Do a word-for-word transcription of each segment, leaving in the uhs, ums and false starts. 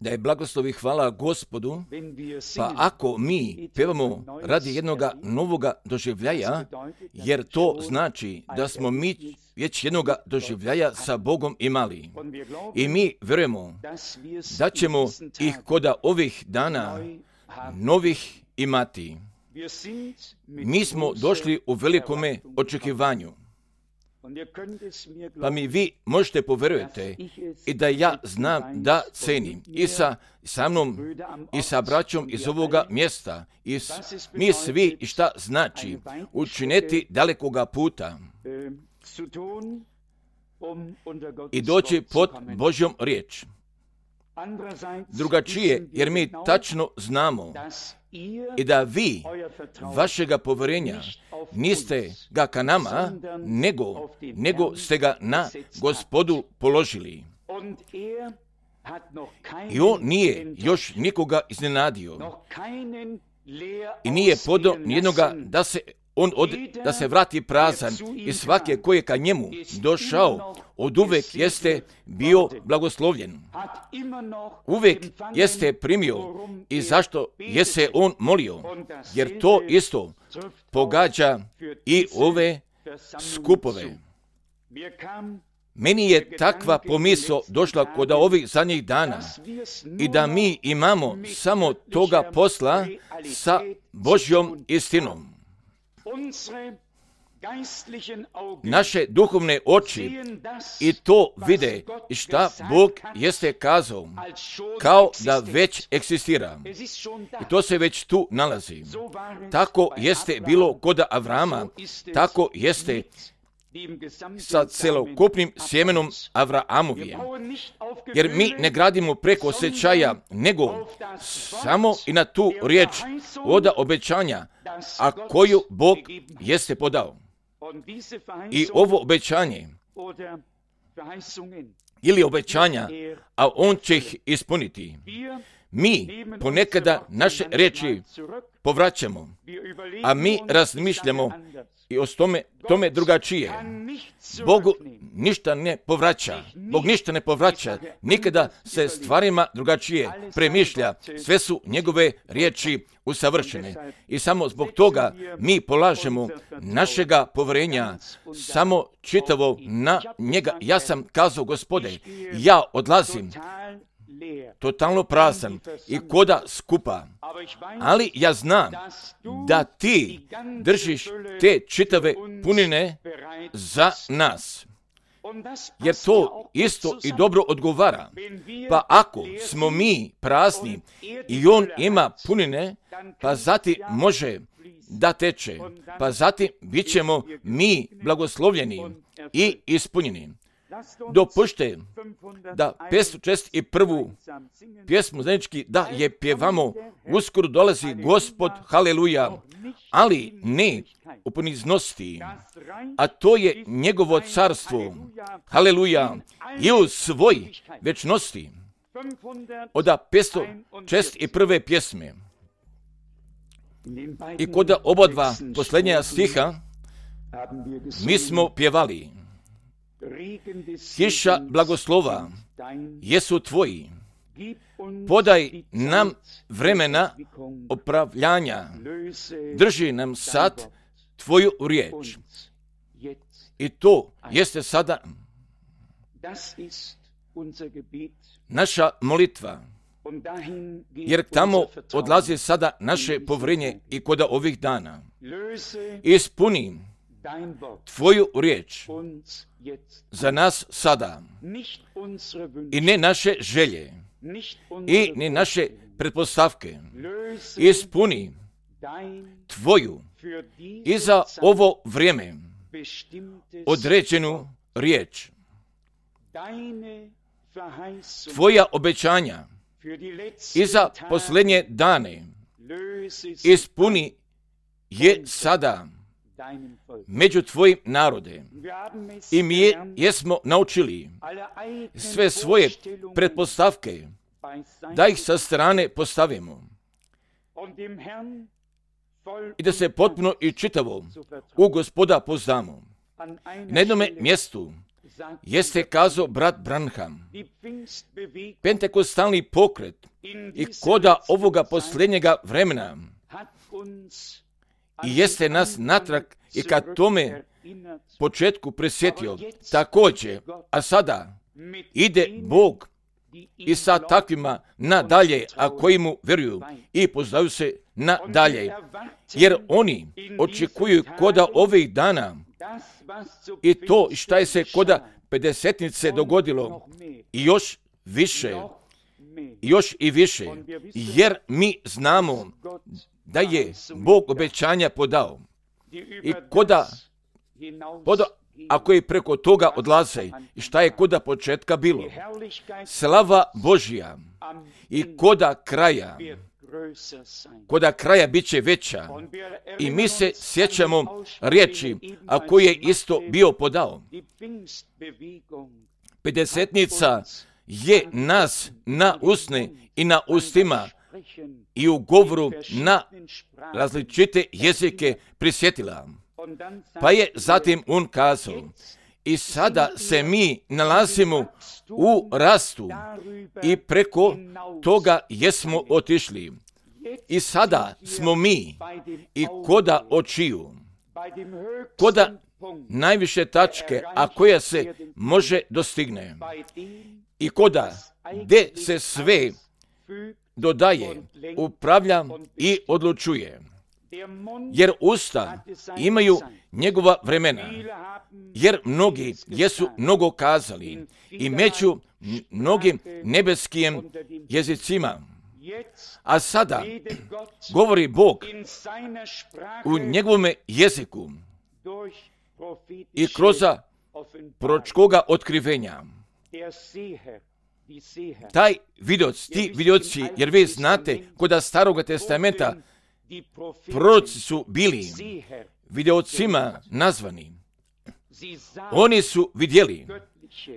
Da je blagoslov i hvala Gospodu, pa ako mi pevamo radi jednoga novoga doživljaja, jer to znači da smo mi već jednoga doživljaja sa Bogom imali. I mi vjerujemo da ćemo ih koda ovih dana novih imati. Mi smo došli u velikome očekivanju. Pa mi vi možete povjerujete i da ja znam da cenim i sa, sa mnom i sa braćom iz ovoga mjesta i s, mi svi i šta znači učiniti dalekoga puta i doći pod Božjom riječ. Drugačije, jer mi tačno znamo i da vi vašega povjerenja niste ga ka nama, nego, nego ste ga na Gospodu položili. I on nije još nikoga iznenadio i nije podao nijednoga da se on od, da se vrati prazan i svake koje ka njemu došao od uvek jeste bio blagoslovljen. Uvek jeste primio i zašto je se on molio, jer to isto pogađa i ove skupove. Meni je takva pomisao došla kod ovih zadnjih dana i da mi imamo samo toga posla sa Božjom istinom. Naše duhovne oči i to vide i šta Bog jeste kazao, kao da već eksistira. I to se već tu nalazi. Tako jeste bilo kod Avrama, tako jeste sa celokupnim sjemenom Avraamovije. Jer mi ne gradimo preko osjećaja, nego samo i na tu riječ od obećanja, a koju Bog jeste podao. I ovo obećanje ili obećanja, a on će ih ispuniti. Mi ponekada naše riječi povraćamo, a mi razmišljamo i o tome, tome drugačije. Bogu ništa ne povraća. Bog ništa ne povraća. Nikada se stvarima drugačije premišlja. Sve su njegove riječi usavršene. I samo zbog toga mi polažemo našega povjerenja samo čitavo na njega. Ja sam kazao, Gospode, ja odlazim totalno prazan i koda skupa, ali ja znam da ti držiš te čitave punine za nas. Jer to isto i dobro odgovara. Pa ako smo mi prazni i on ima punine, pa zatim može da teče, pa zatim bit ćemo mi blagoslovljeni i ispunjeni. Dopušte da petsto šezdeset prvu pjesmu zajednički da je pjevamo, uskoro dolazi Gospod, haleluja, ali ne u poniznosti, a to je njegovo carstvo, haleluja, i u svoj večnosti. Od petsto šezdeset prve pjesme i kod oba dva posljednja stiha mi smo pjevali: kiša blagoslova jesu tvoji, podaj nam vremena opravljanja, drži nam sad tvoju riječ. I to jeste sada naša molitva, jer tamo odlazi sada naše povjerenje i kod ovih dana. Ispuni tvoju riječ za nas sada i ne naše želje i ne naše pretpostavke. Ispuni tvoju i za ovo vrijeme određenu riječ. Tvoja obećanja i za posljednje dane ispuni je sada među tvojim narode. I mi je, jesmo naučili sve svoje pretpostavke da ih sa strane postavimo i da se potpuno i čitavo u Gospoda poznamo. Na jednom mjestu jeste kazao brat Branham. Pentekostalni pokret i koda ovoga posljednjega vremena i jeste nas natrag i kad tome početku presjetio također, a sada ide Bog i sa takvima nadalje, a koji mu vjeruju i poznaju se nadalje, jer oni očekuju koda ovih dana i to šta je se koda pedesetnice dogodilo i još više, još i više, jer mi znamo da je Bog obećanja podao i koda, koda ako je preko toga odlaze i šta je koda početka bilo, slava Božja i koda kraja, koda kraja bit će veća i mi se sjećamo riječi, a koji je isto bio podao. Pedesetnica je nas na usne i na ustima i u govoru na različite jezike prisjetila. Pa je zatim on kazao, i sada se mi nalazimo u rastu i preko toga jesmo otišli. I sada smo mi i koda očiju, koda najviše tačke, a koja se može dostigne. I koda gdje se sve dodaje, upravlja i odlučuje. Jer usta imaju njegova vremena, jer mnogi jesu mnogo kazali i među mnogim nebeskim jezicima. A sada govori Bog u njegovome jeziku i kroz proročkoga otkrivenja. Taj vidioc, ti vidioci, jer vi znate kod Staroga testamenta proroci su bili videocima nazvani. Oni su vidjeli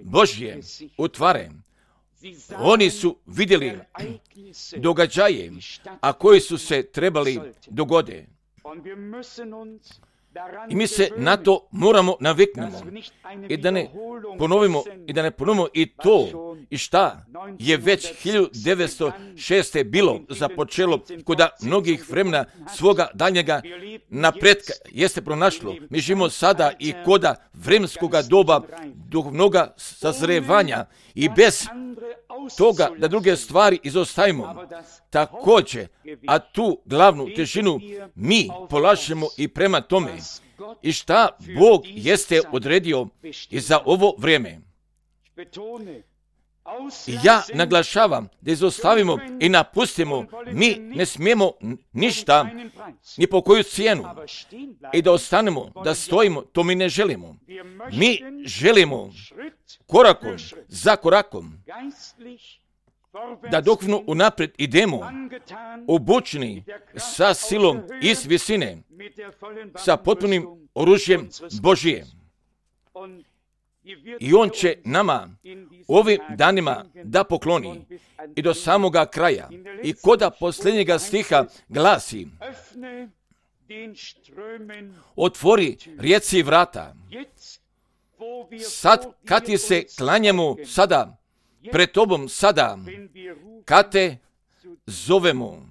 Božje utvare. Oni su vidjeli događaje, a koji su se trebali dogode. I mi se na to moramo naviknemo i da ne ponovimo i da ne ponovimo i to i šta je već hiljadu devetsto šeste. bilo započelo kod mnogih vremena svoga daljnjega napretka jeste pronašlo. Mi živimo sada i koda vremenskoga doba duhovnoga sazrevanja i bez toga da druge stvari izostavimo. Također, a tu glavnu težinu mi polažemo i prema tome i šta Bog jeste odredio i za ovo vrijeme. I ja naglašavam da izostavimo i napustimo, mi ne smijemo ništa, ni po koju cijenu. I da ostanemo, da stojimo, to mi ne želimo. Mi želimo korakom za korakom da duhovno unaprijed idemo, obučeni sa silom iz visine, sa potpunim oružjem Božije. I on će nama ovim danima da pokloni i do samoga kraja. I koda posljednjega stiha glasi: otvori rijeci vrata. Sad kad ti se klanjamo sada, pred tobom sada, kad te zovemo.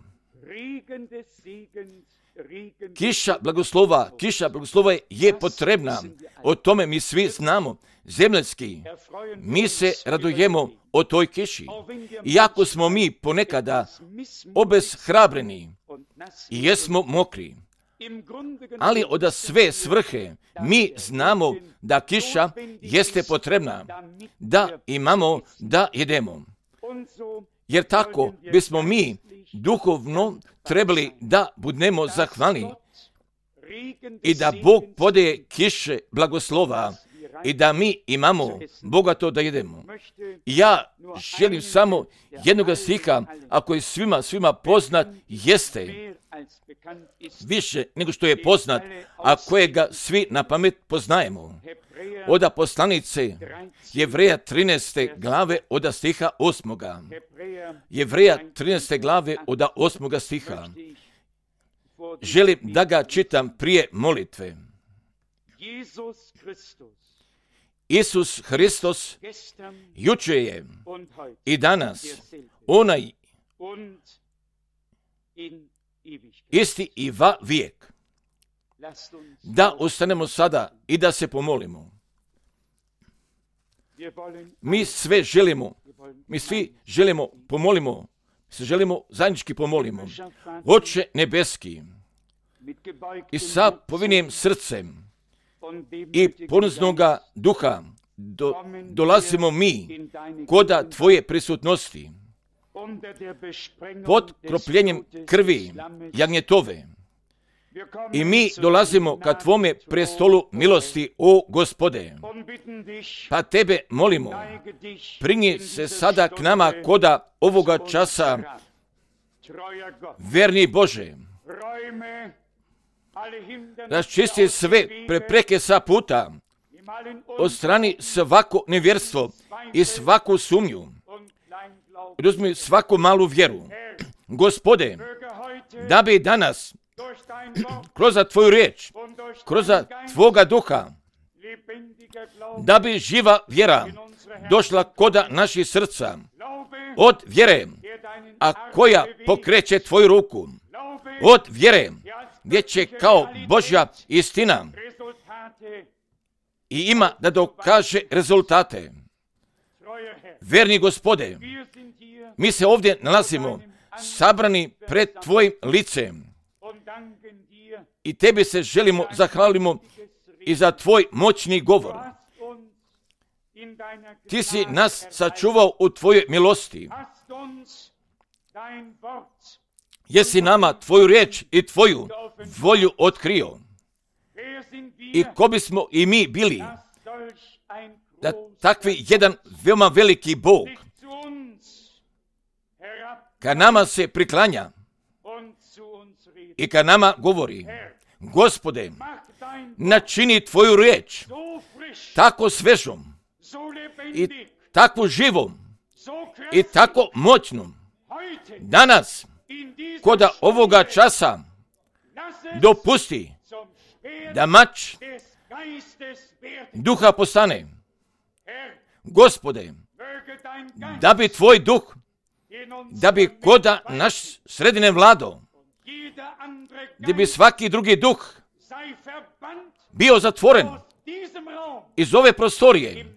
Kiša blagoslova, kiša blagoslova je potrebna. O tome mi svi znamo. Zemljski, mi se radujemo o toj kiši. Iako smo mi ponekada obeshrabreni i jesmo mokri, ali od sve svrhe mi znamo da kiša jeste potrebna, da imamo da jedemo. Jer tako bismo mi duhovno trebali da budemo zahvalni i da Bog podaje kiše blagoslova i da mi imamo bogato da jedemo. Ja želim samo jednoga stiha, ako je svima, svima poznat, jeste više nego što je poznat, a kojega svi na pamet poznajemo. Oda poslanice Jevreja trinaeste glave oda stiha osmoga. Jevreja trinaeste glave oda osmoga stiha. Želim da ga čitam prije molitve. Isus Hristos juče je i danas onaj isti i va vijek. Da ostanemo sada i da se pomolimo. Mi sve želimo, mi svi želimo, pomolimo, se želimo zajednički pomolimo. Oče nebeski, i sa povinim srcem i poniznoga duha do, dolazimo mi koda Tvoje prisutnosti pod kropljenjem krvi jagnjetove. I mi dolazimo ka Tvome prestolu milosti, o Gospode. Pa Tebe molimo, prinji se sada k nama koda ovoga časa, verni Bože. Raščisti sve prepreke sa puta, odstrani svako nevjerstvo i svaku sumnju. Uzmi svaku malu vjeru. Gospode, da bi danas kroz Tvoju riječ, kroz Tvoga duha, da bi živa vjera došla koda naših srca od vjere, a koja pokreće Tvoju ruku, od vjere gdje će kao Božja istina i ima da dokaže rezultate. Verni Gospode, mi se ovdje nalazimo sabrani pred Tvojim licem i Tebi se želimo, zahvalimo i za Tvoj moćni govor. Ti si nas sačuvao u Tvojoj milosti. Jesi nama Tvoju riječ i Tvoju volju otkrio. I ko bismo i mi bili da takvi jedan veoma veliki Bog ka nama se priklanja i ka nama govori: Gospode, načini Tvoju riječ tako svežom i tako živom i tako moćnom danas koda ovoga časa dopusti da mač duha postane. Gospode, da bi Tvoj duh, da bi koda naš sredine vlado, da bi svaki drugi duh bio zatvoren iz ove prostorije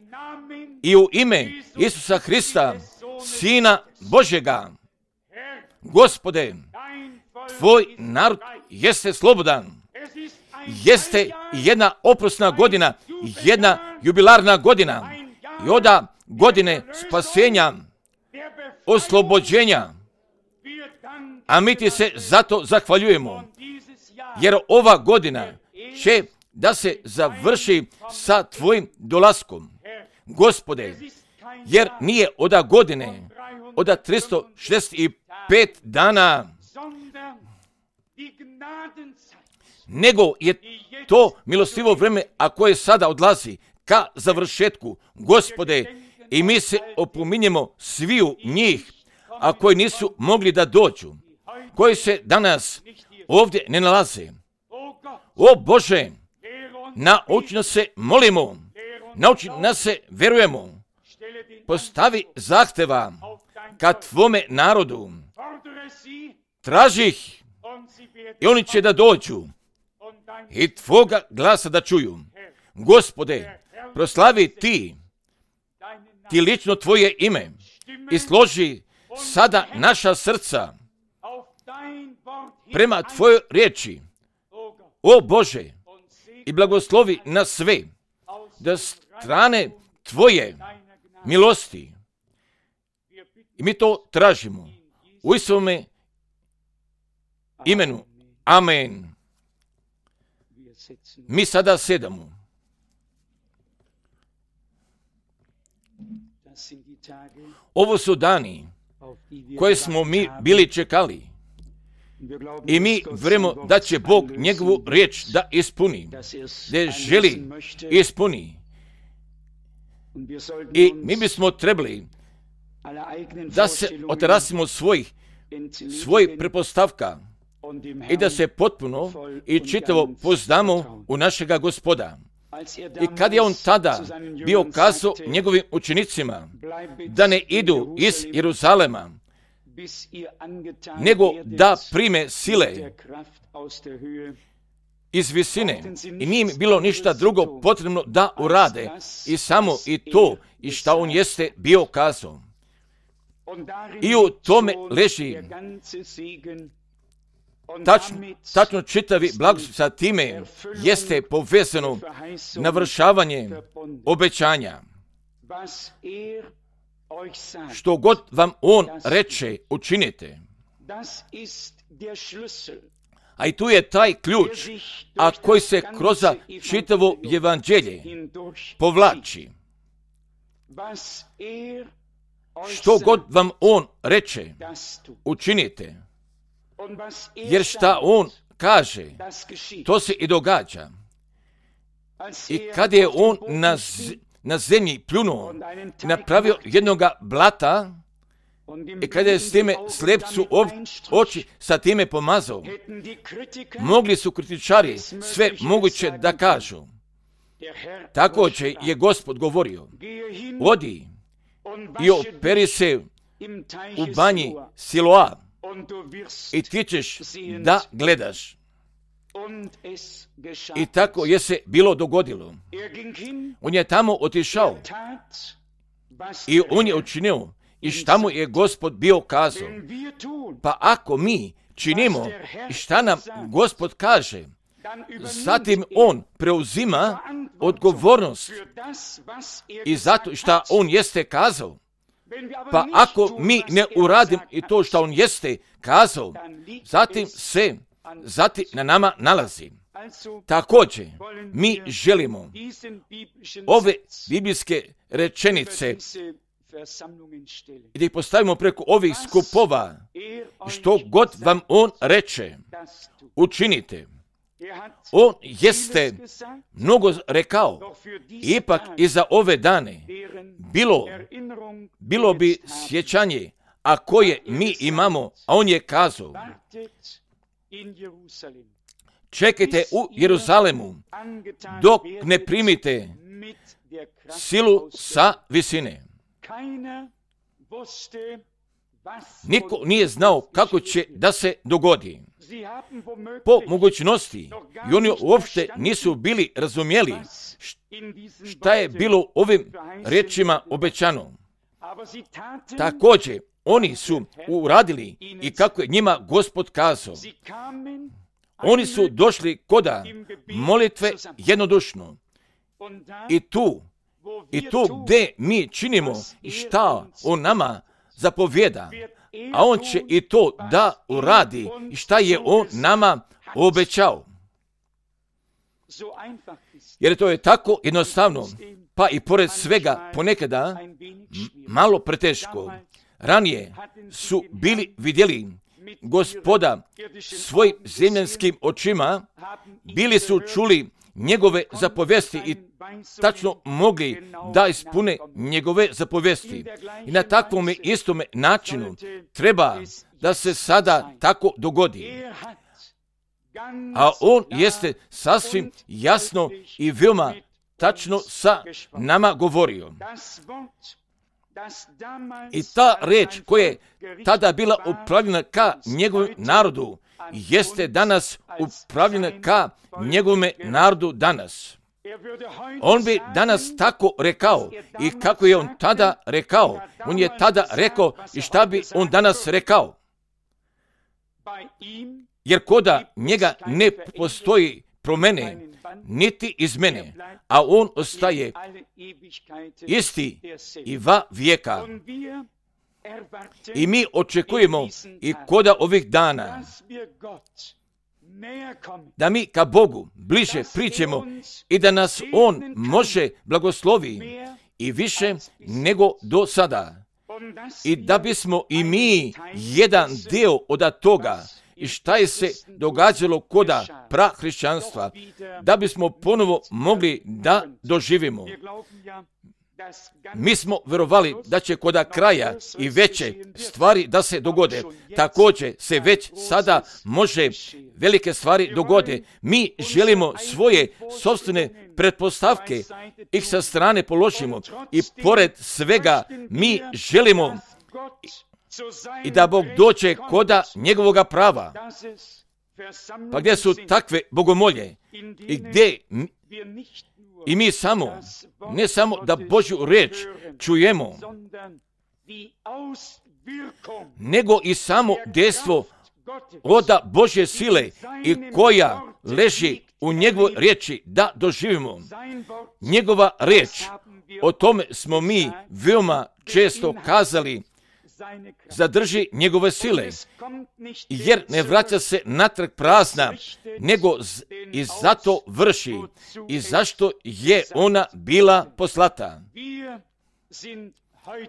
i u ime Isusa Hrista, Sina Božjega. Gospode, Tvoj narod jeste slobodan. Jeste jedna oprosna godina, jedna jubilarna godina i oda godine spasenja, oslobođenja. A mi Ti se zato zahvaljujemo, jer ova godina će da se završi sa Tvojim dolaskom. Gospode, jer nije oda godine, oda tristo šezdeset pet dana, nego je to milostivo vreme, a koje sada odlazi ka završetku. Gospode, i mi se opominjemo sviju njih, a koji nisu mogli da dođu, koji se danas ovdje ne nalaze. O Bože, nauči nas se molimo, nauči nas se verujemo, postavi zahteva ka Tvome narodu, traži ih i oni će da dođu i Tvoga glasa da čuju. Gospode, proslavi Ti, Ti lično Tvoje ime i složi sada naša srca prema Tvojoj riječi. O Bože, i blagoslovi nas sve da strane Tvoje milosti. I mi to tražimo u Isuvome imenu. Amen. Mi sada sedamo. Ovo su dani koje smo mi bili čekali i mi vjerujemo da će Bog njegovu riječ da ispuni, da je želi ispuni. I mi bismo trebali da se otarasimo svojih, svojih prepostavka i da se potpuno i čitavo poznamo u našega Gospoda. I kad je on tada bio kazao njegovim učenicima da ne idu iz Jeruzalema, nego da prime sile iz visine, i nije im bilo ništa drugo potrebno da urade, i samo i to, i šta on jeste bio kazao. I u tome leži tačno, tačno čitavi blagoslov. Sa time jeste povezano navršavanje obećanja. Što god vam on reče, učinite. A i tu je taj ključ, a koji se kroz čitavo evanđelje povlači. Što god vam on reče, učinite. Jer šta on kaže, to se i događa. I kad je on na, z- na zemlji pljunuo, napravio jednoga blata, i kada je s time slepcu oči sa time pomazao, mogli su kritičari sve moguće da kažu. Također je Gospod govorio, odi i operi se u banji Siloa i ti ćeš da gledaš. I tako je se bilo dogodilo. On je tamo otišao i on je učinio i šta mu je Gospod bio kazao. Pa ako mi činimo i šta nam Gospod kaže, zatim on preuzima odgovornost i zato šta on jeste kazao. Pa ako mi ne uradimo i to što on jeste kazao, zatim se zatim na nama nalazi. Također, mi želimo ove biblijske rečenice i da ih postavimo preko ovih skupova, što god vam on reče, učinite. On jeste mnogo rekao, ipak i za ove dane bilo, bilo bi sjećanje, a koje mi imamo, a on je kazao, čekajte u Jeruzalemu dok ne primite silu sa visine. Niko nije znao kako će da se dogodi. Po mogućnosti, i oni uopšte nisu bili razumjeli šta je bilo ovim riječima obećano. Također, oni su uradili i kako je njima Gospod kazao. Oni su došli koda molitve jednodušno. I tu, i tu gdje mi činimo i šta on nama zapovjeda, a on će i to da uradi i šta je on nama obećao. Jer to je tako jednostavno, pa i pored svega ponekada m- malo preteško. Ranije su bili vidjeli Gospoda svojim zemljanskim očima, bili su čuli njegove zapovesti i tačno mogli da ispune njegove zapovesti. I na takvom istome načinu treba da se sada tako dogodi. A on jeste sasvim jasno i veoma tačno sa nama govorio. I ta reč koja je tada bila upravljena ka njegovom narodu, jeste danas upravljena ka njegovome narodu danas. On bi danas tako rekao i kako je on tada rekao. On je tada rekao i šta bi on danas rekao. Jer koda njega ne postoji promene, niti izmene, a on ostaje isti i va vijeka. I mi očekujemo i koda ovih dana da mi ka Bogu bliže priđemo i da nas on može blagoslovi i više nego do sada. I da bismo i mi jedan dio od toga i šta je se događalo koda prahrišćanstva, da bismo ponovo mogli da doživimo. Mi smo vjerovali da će kod kraja i veće stvari da se dogode. Također se već sada može velike stvari dogode. Mi želimo svoje sopstvene pretpostavke, ih sa strane položimo i pored svega mi želimo i da Bog dođe koda njegovoga prava. Pa gdje su takve bogomolje i gdje i mi samo, ne samo da Božju riječ čujemo, nego i samo dejstvo oda Božje sile i koja leži u njegovoj riječi da doživimo. Njegova riječ, o tome smo mi veoma često kazali, zadrži njegove sile, jer ne vraća se natrag prazna, nego z- i zato vrši i zašto je ona bila poslata.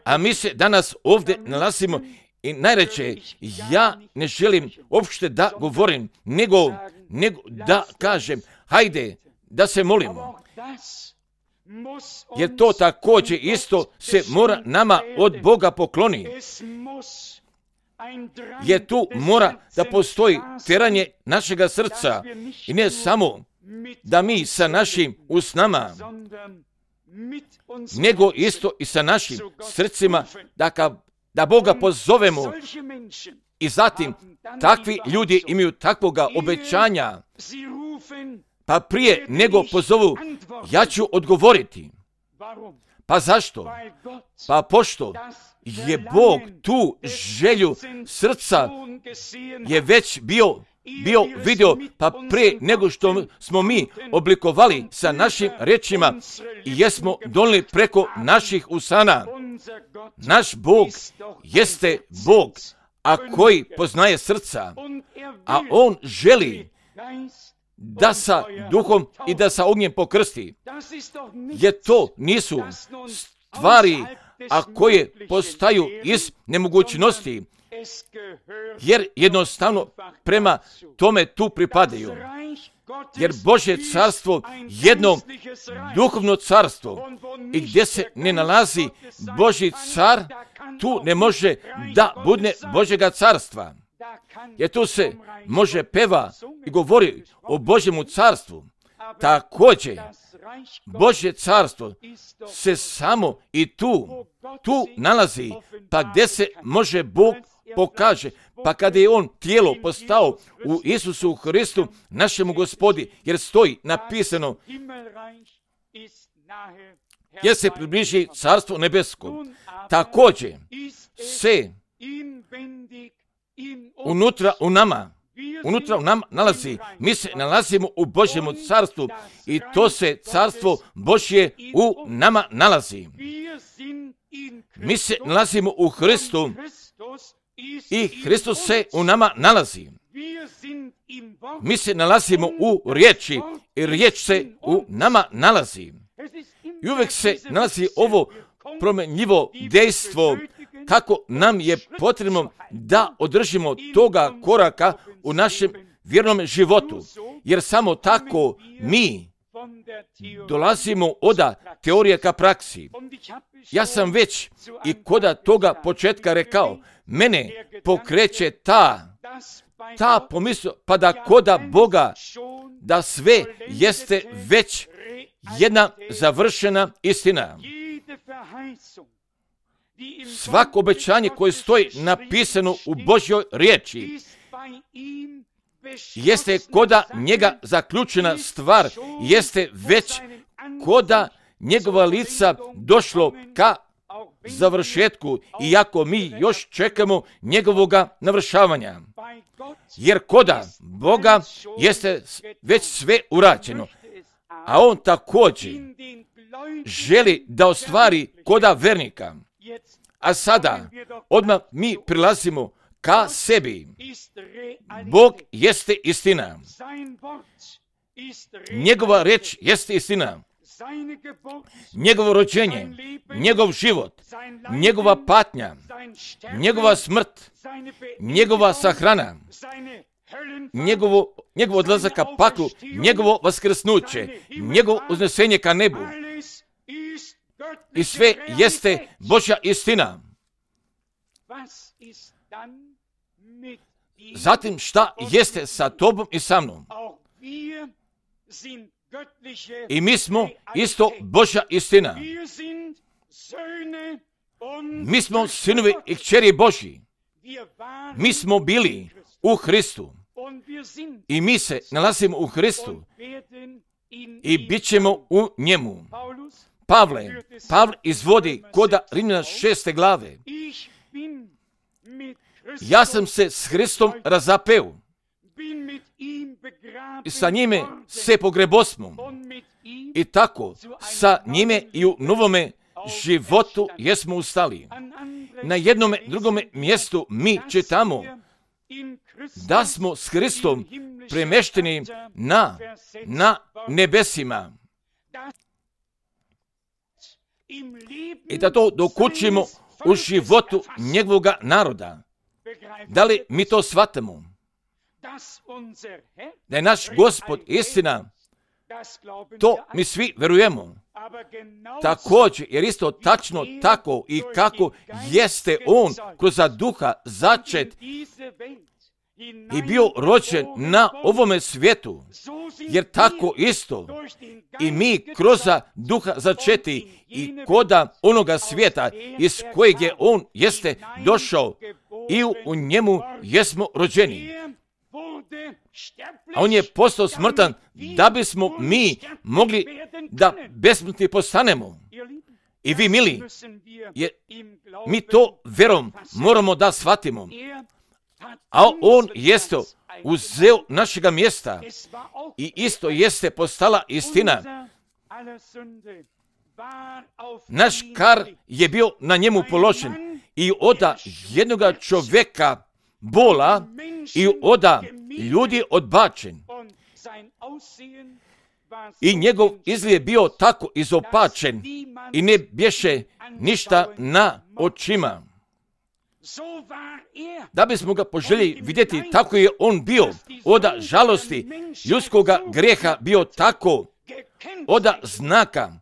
A mi se danas ovdje nalazimo i najreće, ja ne želim uopšte da govorim, nego, nego da kažem, hajde da se molimo. Jer to također isto se mora nama od Boga pokloni. Jer tu mora da postoji teranje našega srca i ne samo da mi sa našim usnama, nego isto i sa našim srcima da, ka, da Boga pozovemo. I zatim takvi ljudi imaju takvoga obećanja, pa prije nego pozovu, ja ću odgovoriti. Pa zašto? Pa pošto je Bog tu želju srca je već bio, bio vidio, pa prije nego što smo mi oblikovali sa našim rečima i jesmo donijeli preko naših usana. Naš Bog jeste Bog, a koji poznaje srca, a On želi da sa duhom i da sa ognjem pokrsti. Jer to nisu stvari, a koje postaju iz nemogućnosti, jer jednostavno prema tome tu pripadaju. Jer Božje carstvo jedno duhovno carstvo i gdje se ne nalazi Božji car, tu ne može da bude Božjega carstva. Jer tu se može peva i govori o Božjemu carstvu. Također, Božje carstvo se samo i tu, tu nalazi, pa gdje se može Bog pokaže, pa kada je On tijelo postao u Isusu Hristu, našemu Gospodi, jer stoji napisano, jer se približi carstvo nebesko. Također se unutra u nama, unutra u nama nalazi, mi se nalazimo u Božjemu carstvu i to se carstvo Božje u nama nalazi. Mi se nalazimo u Hristu i Hristos se u nama nalazi. Mi se nalazimo u riječi i riječ se u nama nalazi. I uvijek se nalazi ovo promjenjivo dejstvo kako nam je potrebno da održimo toga koraka u našem vjernom životu. Jer samo tako mi dolazimo od teorije ka praksi. Ja sam već i koda toga početka rekao, mene pokreće ta, ta pomisao, pa da koda Boga, da sve jeste već jedna završena istina. Svako obećanje koje stoji napisano u Božjoj riječi jeste koda njega zaključena stvar, jeste već koda njegova lica došlo ka završetku, iako mi još čekamo njegovoga navršavanja. Jer koda Boga jeste već sve urađeno, a On također želi da ostvari koda vernika. A sada odmah mi prilazimo ka sebi. Bog jeste istina. Njegova reč jeste istina. Njegovo rođenje, njegov život, njegova patnja, njegova smrt, njegova sahrana, njegovo, njegov odlazak ka paklu, njegovo vaskrsnuće, njegovo uznesenje ka nebu. i sve jeste Božja istina. Zatim šta jeste sa tobom i sa mnom? I mi smo isto Božja istina. Mi smo sinovi i kćeri Božji. Mi smo bili u Hristu. I mi se nalazimo u Hristu. I bit ćemo u njemu. Pavle, Pavle izvodi koda Rimljana šeste glave. Ja sam se s Hristom razapeo. I sa njime se pogrebosmo. I tako sa njime i u novome životu jesmo ustali. Na jednome drugome mjestu mi čitamo da smo s Hristom premešteni na, na nebesima. I da to dokučimo u životu njegovoga naroda. Da li mi to shvatamo? Da je naš Gospod istina, to mi svi verujemo. Također, jer isto tačno tako i kako jeste On kroz duha začet i bio rođen na ovome svijetu, jer tako isto i mi kroz duha začeti i koda onoga svijeta iz kojeg je On jeste došao i u njemu jesmo rođeni. A On je postao smrtan da bismo mi mogli da besmrtni postanemo. I vi, mili, je, mi to verom moramo da shvatimo. A On jeste uzeo našega mjesta i isto jeste postala istina. Naš kar je bio na njemu položen i oda jednoga čovjeka bola i oda ljudi odbačen. I njegov izgled je bio tako izopačen i ne bješe ništa na očima. Da bismo ga poželjeli vidjeti, tako je on bio oda žalosti ljudskoga greha, bio tako oda znaka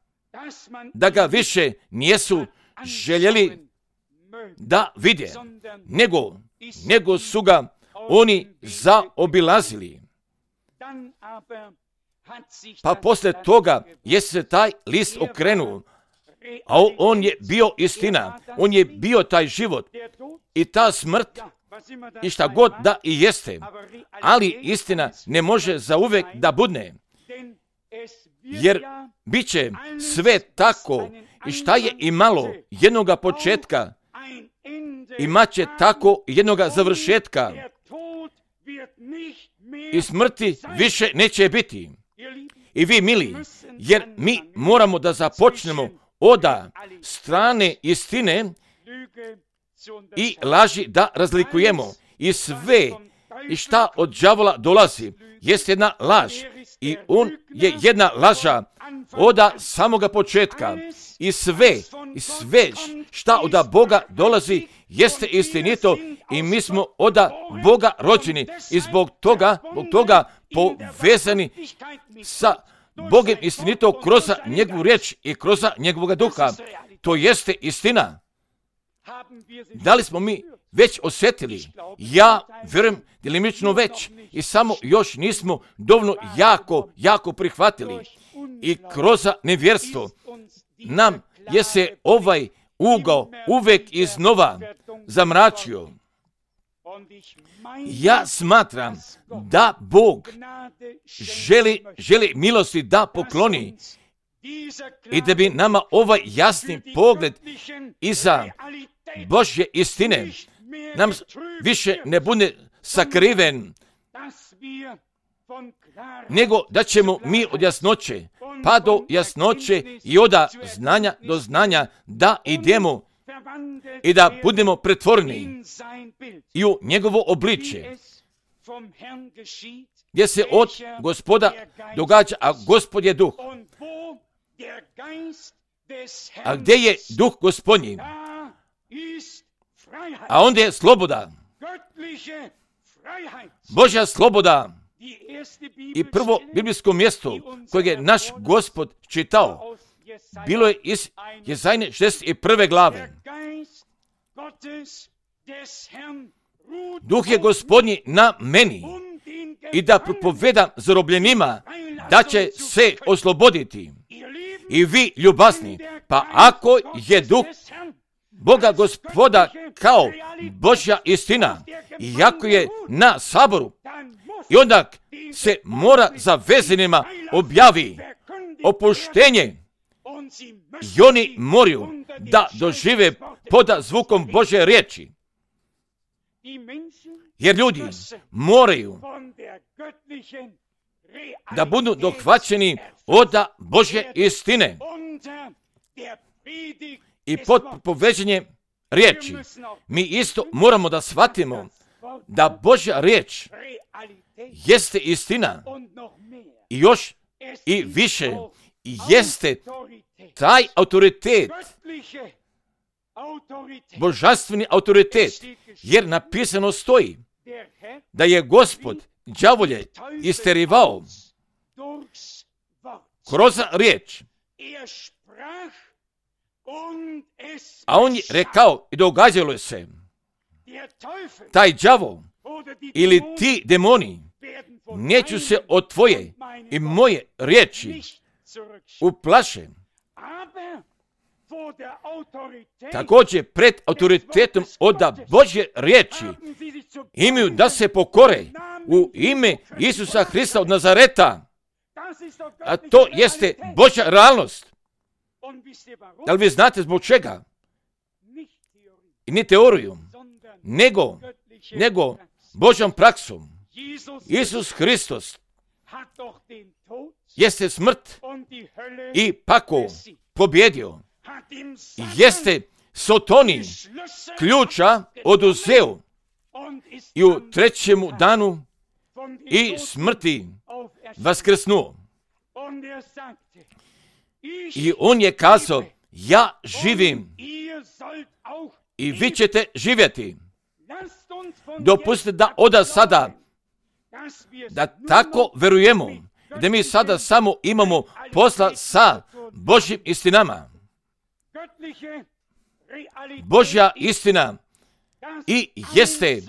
da ga više nijesu željeli da vide, nego, nego su ga oni zaobilazili. Pa poslije toga je se taj list okrenuo, a on je bio istina, on je bio taj život i ta smrt i šta god da i jeste, ali istina ne može zauvek da budne, jer bit će sve tako i šta je imalo jednoga početka, imat će tako jednoga završetka i smrti više neće biti. I vi, mili, jer mi moramo da započnemo oda strane istine i laži da razlikujemo. I sve i šta od đavola dolazi jest jedna laž i on je jedna laža oda samoga početka. I sve, i sve šta oda Boga dolazi jeste istinito i mi smo oda Boga rođeni i zbog toga, zbog toga povezani sa Bogom istinito kroz njegovu riječ i kroz njegovog duha. To jeste istina. Da li smo mi već osjetili? Ja vjerujem djelimično već i samo još nismo dovoljno jako, jako prihvatili. I kroz nevjerstvo nam je se ovaj ugao uvek iznova zamračio. Ja smatram da Bog želi, želi milosti da pokloni i da bi nama ovaj jasni pogled iza Božje istine nam više ne bude sakriven, nego da ćemo mi od jasnoće pa do jasnoće i od znanja do znanja da idemo i da budemo pretvoreni i u njegovo obličje, gdje se od Gospoda događa, a Gospod je duh. A gdje je duh Gospodnji? A onda je sloboda. Božja sloboda. I prvo biblijsko mjesto kojeg je naš Gospod čitao bilo je iz Jezajne šezdeset prve glave. Duh je Gospodnji na meni i da propovedam zarobljenima da će se osloboditi. I vi, ljubazni, pa ako je Duh Boga Gospoda kao Božja istina, iako je na saboru, i onda se mora za vezanima objavi opuštenje i oni moraju da dožive poda zvukom Božje riječi. Jer ljudi moraju da budu dohvaćeni od Božje istine i pod poveđenjem riječi. Mi isto moramo da shvatimo da Božja riječ jeste istina i još i više jeste taj autoritet, božanstveni autoritet, jer napisano stoji da je Gospod đavolje isterivao kroz riječ, a on je rekao i događalo se, taj đavo ili ti demoni neću se od tvoje i moje riječi uplaše. Također pred autoritetom od Božje riječi imaju da se pokore u ime Isusa Hrista od Nazareta, a to jeste Božja realnost. Da li vi znate zbog čega? I ni teoriju, nego, nego Božjom praksom. Isus Hristos jeste smrt i pakao pobjedio. Jeste Sotoni ključa oduzeo i u trećemu danu i smrti vaskrsnuo. I on je kazao, ja živim i vi ćete živjeti. Dopustite da od sada da tako verujemo, da mi sada samo imamo posla sa Božjim istinama. Božja istina i jeste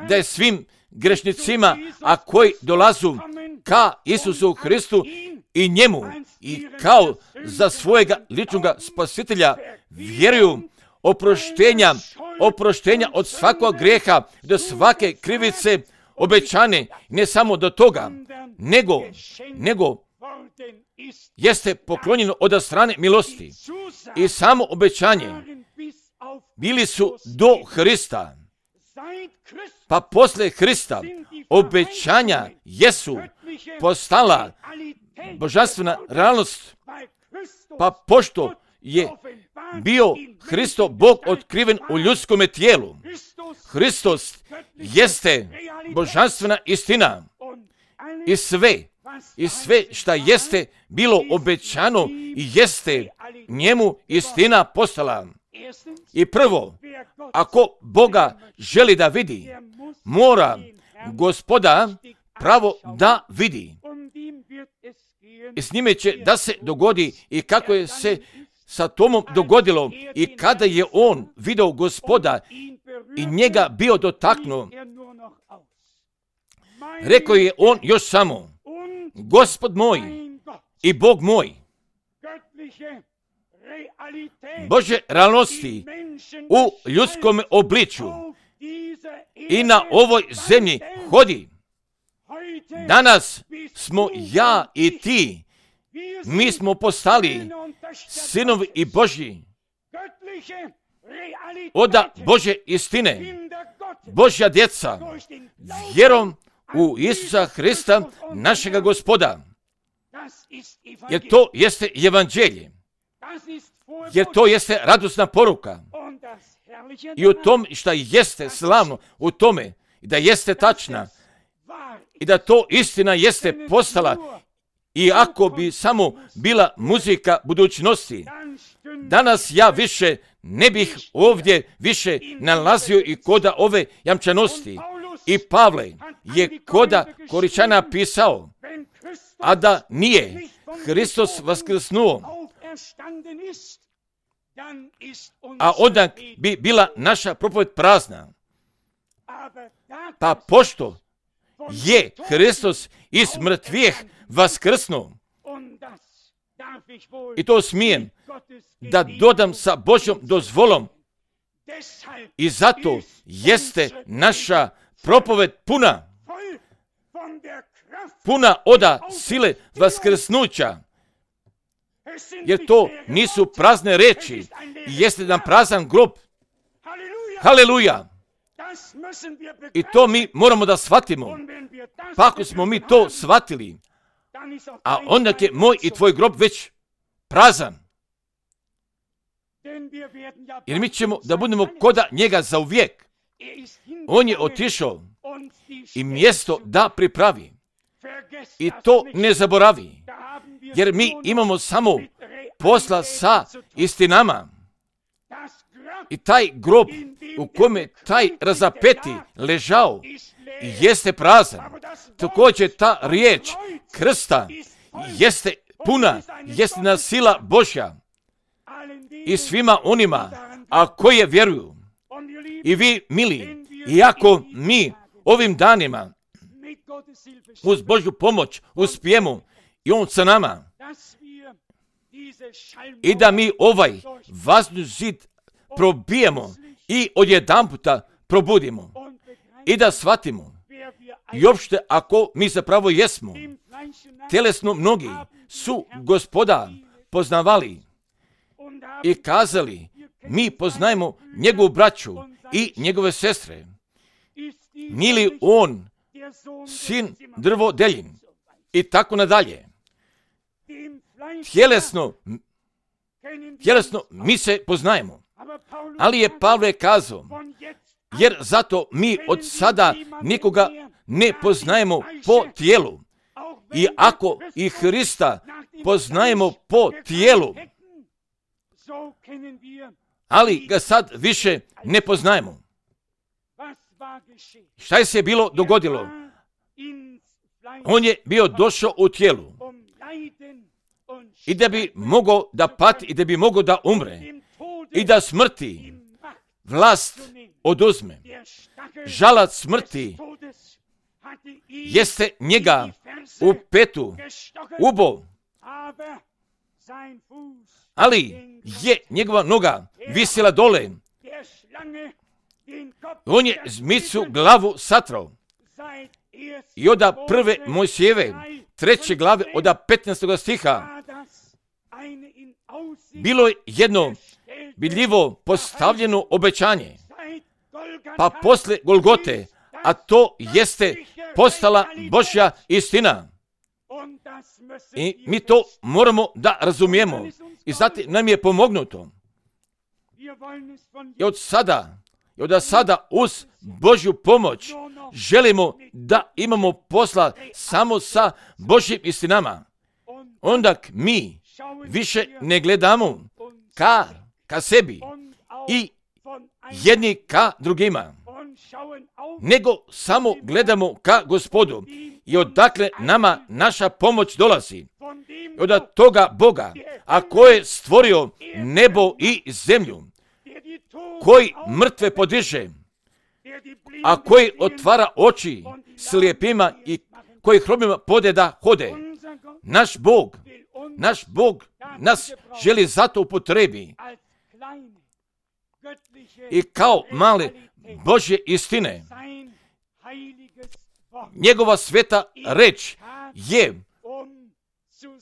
da je svim grešnicima, a koji dolazu ka Isusu Hristu i njemu i kao za svojega ličnog spasitelja vjeruju oproštenja, oproštenja od svakog grijeha, do svake krivice obećane, ne samo do toga, nego, nego jeste poklonjeno od strane milosti i samo obećanje bili su do Hrista, pa posle Hrista obećanja jesu postala božanstvena realnost, pa pošto je bio Hristo Bog otkriven u ljudskome tijelu, Hristos jeste božanstvena istina i sve, i sve šta jeste bilo obećano i jeste njemu istina postala. I prvo, ako Boga želi da vidi, mora Gospoda pravo da vidi. I s njime će da se dogodi i kako je se sa Tomom dogodilo i kada je on video Gospoda i njega bio dotaknuo. Rekao je on još samo, Gospod moj i Bog moj. Božje realnosti u ljudskom obličju i na ovoj zemlji hodi. Danas smo ja i ti, mi smo postali sinovi i Božji od Božje istine, Božja djeca, vjerom u Isusa Hrista, našega Gospoda. Jer to jeste evanđelje, jer to jeste radosna poruka. I u tom šta jeste slavno, u tome da jeste tačna i da to istina jeste postala, i ako bi samo bila muzika budućnosti, danas ja više ne bih ovdje više nalazio i koda ove jamčanosti. I Pavle je koda Koričana pisao, a da nije Hristos vaskrsnuo, a onda bi bila naša propoved prazna. Pa pošto je Hristos iz mrtvih vaskrsnuo, i to smijem da dodam sa Božjom dozvolom, i zato jeste naša propoved puna, puna oda sile vaskrsnuća, jer to nisu prazne reči, jeste nam prazan grob. Haleluja! I to mi moramo da shvatimo. Pa ako smo mi to shvatili, a onda je moj i tvoj grob već prazan. Jer mi ćemo da budemo koda njega za uvijek. On je otišao i mjesto da pripravi. I to ne zaboravi. Jer mi imamo samo posla sa istinama. I taj grob u kome taj razapeti ležao jeste prazan. Također ta riječ krsta jeste puna, jeste na sila Božja. I svima onima, a koje vjeruju. I vi, mili, iako mi ovim danima uz Božju pomoć uspijemo i On sa nama, i da mi ovaj vazni zid probijemo i odjedanputa probudimo i da shvatimo i uopšte ako mi zapravo jesmo, tjelesno mnogi su Gospoda poznavali i kazali, mi poznajemo njegovu braću i njegove sestre. Nije li on sin drvodeljin? I tako nadalje. Tjelesno, tjelesno mi se poznajemo. Ali je Pavle kazao, jer zato mi od sada nikoga ne poznajemo po tijelu. I ako i Hrista poznajemo po tijelu, ali ga sad više ne poznajemo. Šta je se bilo dogodilo? On je bio došao u tijelu i da bi mogao da pati i da bi mogao da umre i da smrti vlast oduzme. Žalac smrti jeste njega u petu ubo, ali je njegova noga visila dole. On je zmicu glavu satrao. I od prve Mojsijeve, treće glave, od petnaestog stiha, bilo je jedno vidljivo postavljeno obećanje. Pa posle Golgote, a to jeste postala Božja istina. I mi to moramo da razumijemo. I zato nam je pomognuto. I od sada, i od sada uz Božju pomoć želimo da imamo posla samo sa Božjim istinama. Onda mi više ne gledamo ka, ka sebi i jedni ka drugima, nego samo gledamo ka Gospodu i odakle nama naša pomoć dolazi. Od toga Boga, a koji je stvorio nebo i zemlju, koji mrtve podiže, a koji otvara oči slijepima i koji hromima pode da hode. Naš Bog, naš Bog nas želi zato upotrebi i kao male Božje istine. Njegova sveta reč je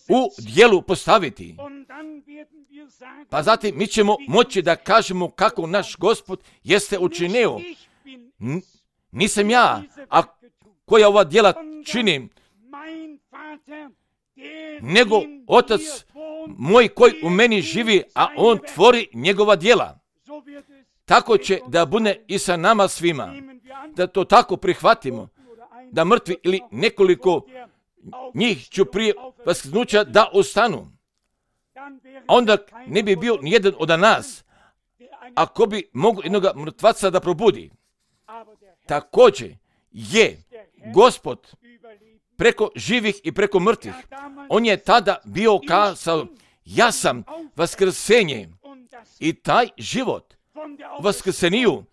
u djelu postaviti. Pa zatim mi ćemo moći da kažemo kako naš Gospod jeste učinio. N- nisam ja, a koja ova djela činim, nego Otac moj koji u meni živi, a On tvori njegova djela. Tako će da bude i sa nama svima. Da to tako prihvatimo. Da mrtvi ili nekoliko njih ću prije vaskrsnuća da ostanu. Onda ne bi bio nijedan od nas, ako bi mogu jednoga mrtvaca da probudi. Također je Gospod preko živih i preko mrtvih. On je tada bio kazao, ja sam vaskrsenje i taj život vaskrseniju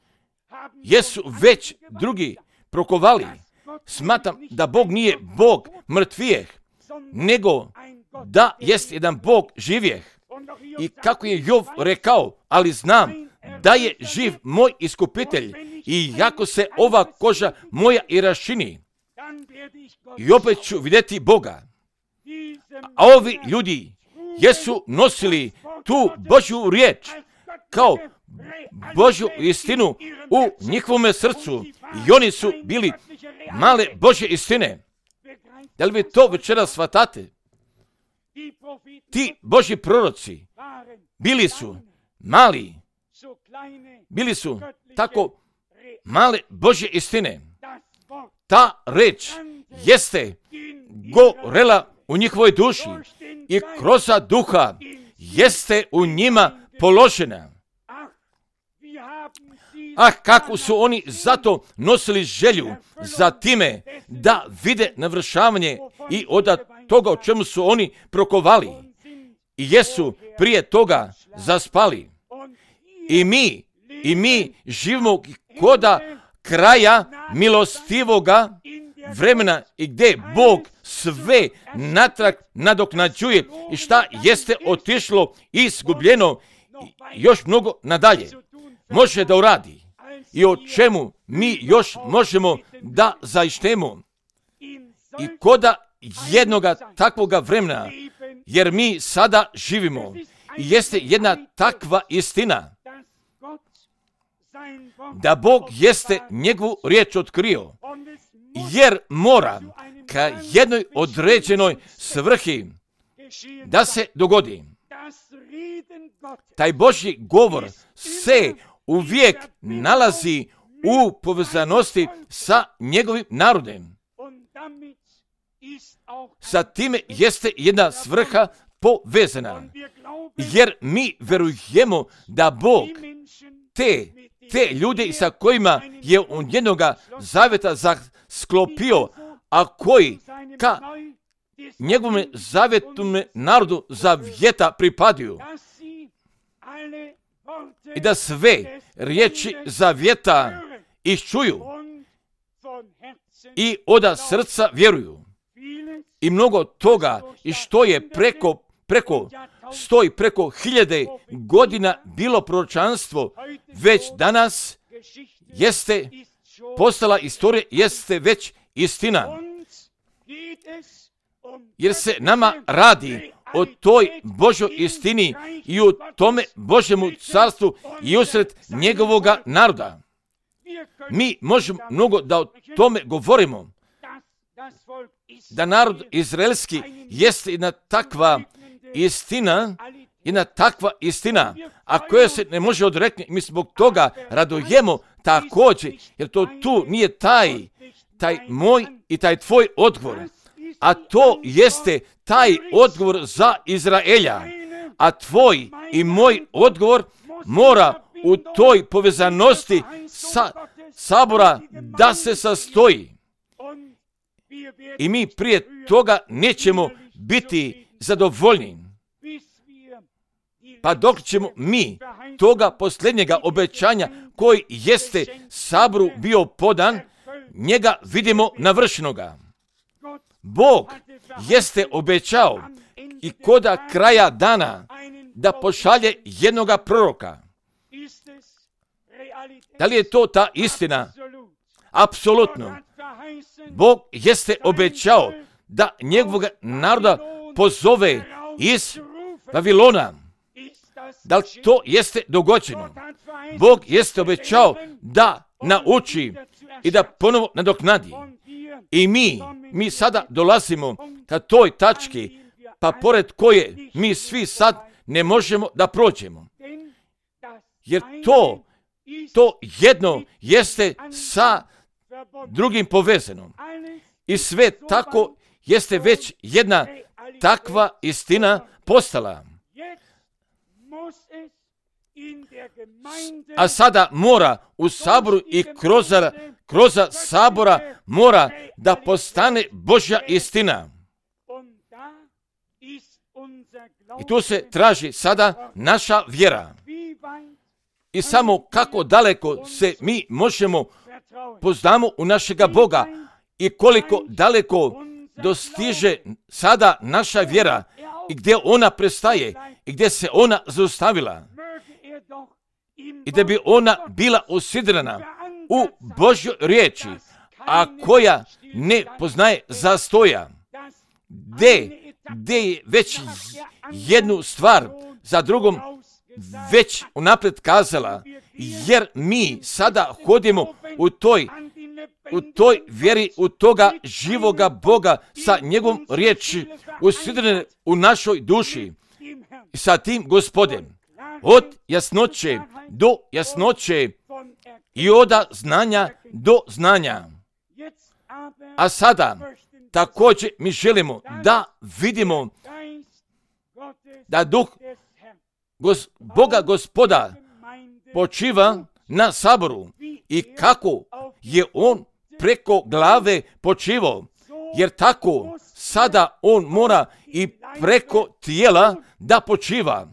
jesu već drugi prokovali. Smatram da Bog nije Bog mrtvijeh, nego da jest jedan Bog živjeh. I kako je Jov rekao, ali znam da je živ moj iskupitelj i jako se ova koža moja i raščini, i opet ću vidjeti Boga. A ovi ljudi jesu nosili tu Božju riječ kao Božju istinu u njihovome srcu i oni su bili male Božje istine. Da li vi to večeras shvatate? Ti Božji proroci bili su mali, bili su tako male Božje istine. Ta reč jeste gorela u njihovoj duši i kroz duha jeste u njima položena. Ah, kako su oni zato nosili želju za time da vide navršavanje i od toga o čemu su oni prokovali i jesu prije toga zaspali. I mi, i mi živimo koda kraja milostivoga vremena i gdje Bog sve natrag nadoknađuje i šta jeste otišlo i izgubljeno još mnogo nadalje može da uradi i o čemu mi još možemo da zaištemo. I koda jednoga takvoga vremena, jer mi sada živimo i jeste jedna takva istina da Bog jeste njegovu riječ otkrio, jer mora ka jednoj određenoj svrhi da se dogodi. Taj Božji govor se uvijek nalazi u povezanosti sa njegovim narodem. Sa time jeste jedna svrha povezana, jer mi verujemo da Bog te, te ljude sa kojima je on jednoga zavjeta sklopio, a koji ka njegovom zavjetnom narodu zavjeta pripadaju. I da sve riječi zavjeta iščuju i od srca vjeruju. I mnogo toga i što je preko, preko, stoji preko hiljade godina bilo proročanstvo, već danas jeste postala istorija, jeste već istina. Jer se nama radi o toj Božoj istini i o tome Božjemu carstvu i usred njegovoga naroda. Mi možemo mnogo da o tome govorimo, da narod izraelski jeste jedna takva istina, jedna takva istina, a koja se ne može odreknuti. Mi zbog toga radujemo također, jer to tu nije taj, taj moj i taj tvoj odgovor, a to jeste taj odgovor za Izraelja, a tvoj i moj odgovor mora u toj povezanosti sa sabora da se sastoji. I mi prije toga nećemo biti zadovoljni. Pa dok ćemo mi toga posljednjega obećanja koji jeste saboru bio podan, njega vidimo navršenoga. Bog jeste obećao i koda kraja dana da pošalje jednoga proroka. Da li je to ta istina? Apsolutno. Bog jeste obećao da njegovog naroda pozove iz Vavilona. Da li to jeste dogođeno? Bog jeste obećao da nauči i da ponovo nadoknadi. I mi, mi sada dolazimo ka toj tački, pa pored koje mi svi sad ne možemo da prođemo. Jer to, to jedno jeste sa drugim povezano. I sve tako jeste već jedna takva istina postala. A sada mora u saboru i kroz, kroz sabora mora da postane Božja istina. I tu se traži sada naša vjera. I samo kako daleko se mi možemo poznamo u našega Boga i koliko daleko dostiže sada naša vjera i gdje ona prestaje i gdje se ona zaustavila. I da bi ona bila usidrena u Božjoj riječi, a koja ne poznaje zastoja. Gdje, gdje je već jednu stvar za drugom već unaprijed kazala, jer mi sada hodimo u toj, u toj vjeri, u toga živoga Boga sa njegovom riječi usidrene u našoj duši. I sa tim Gospodem, od jasnoće do jasnoće i od znanja do znanja. A sada također mi želimo da vidimo da duh Gos, Boga Gospoda počiva na saboru i kako je on preko glave počivao, jer tako sada on mora i preko tijela da počiva,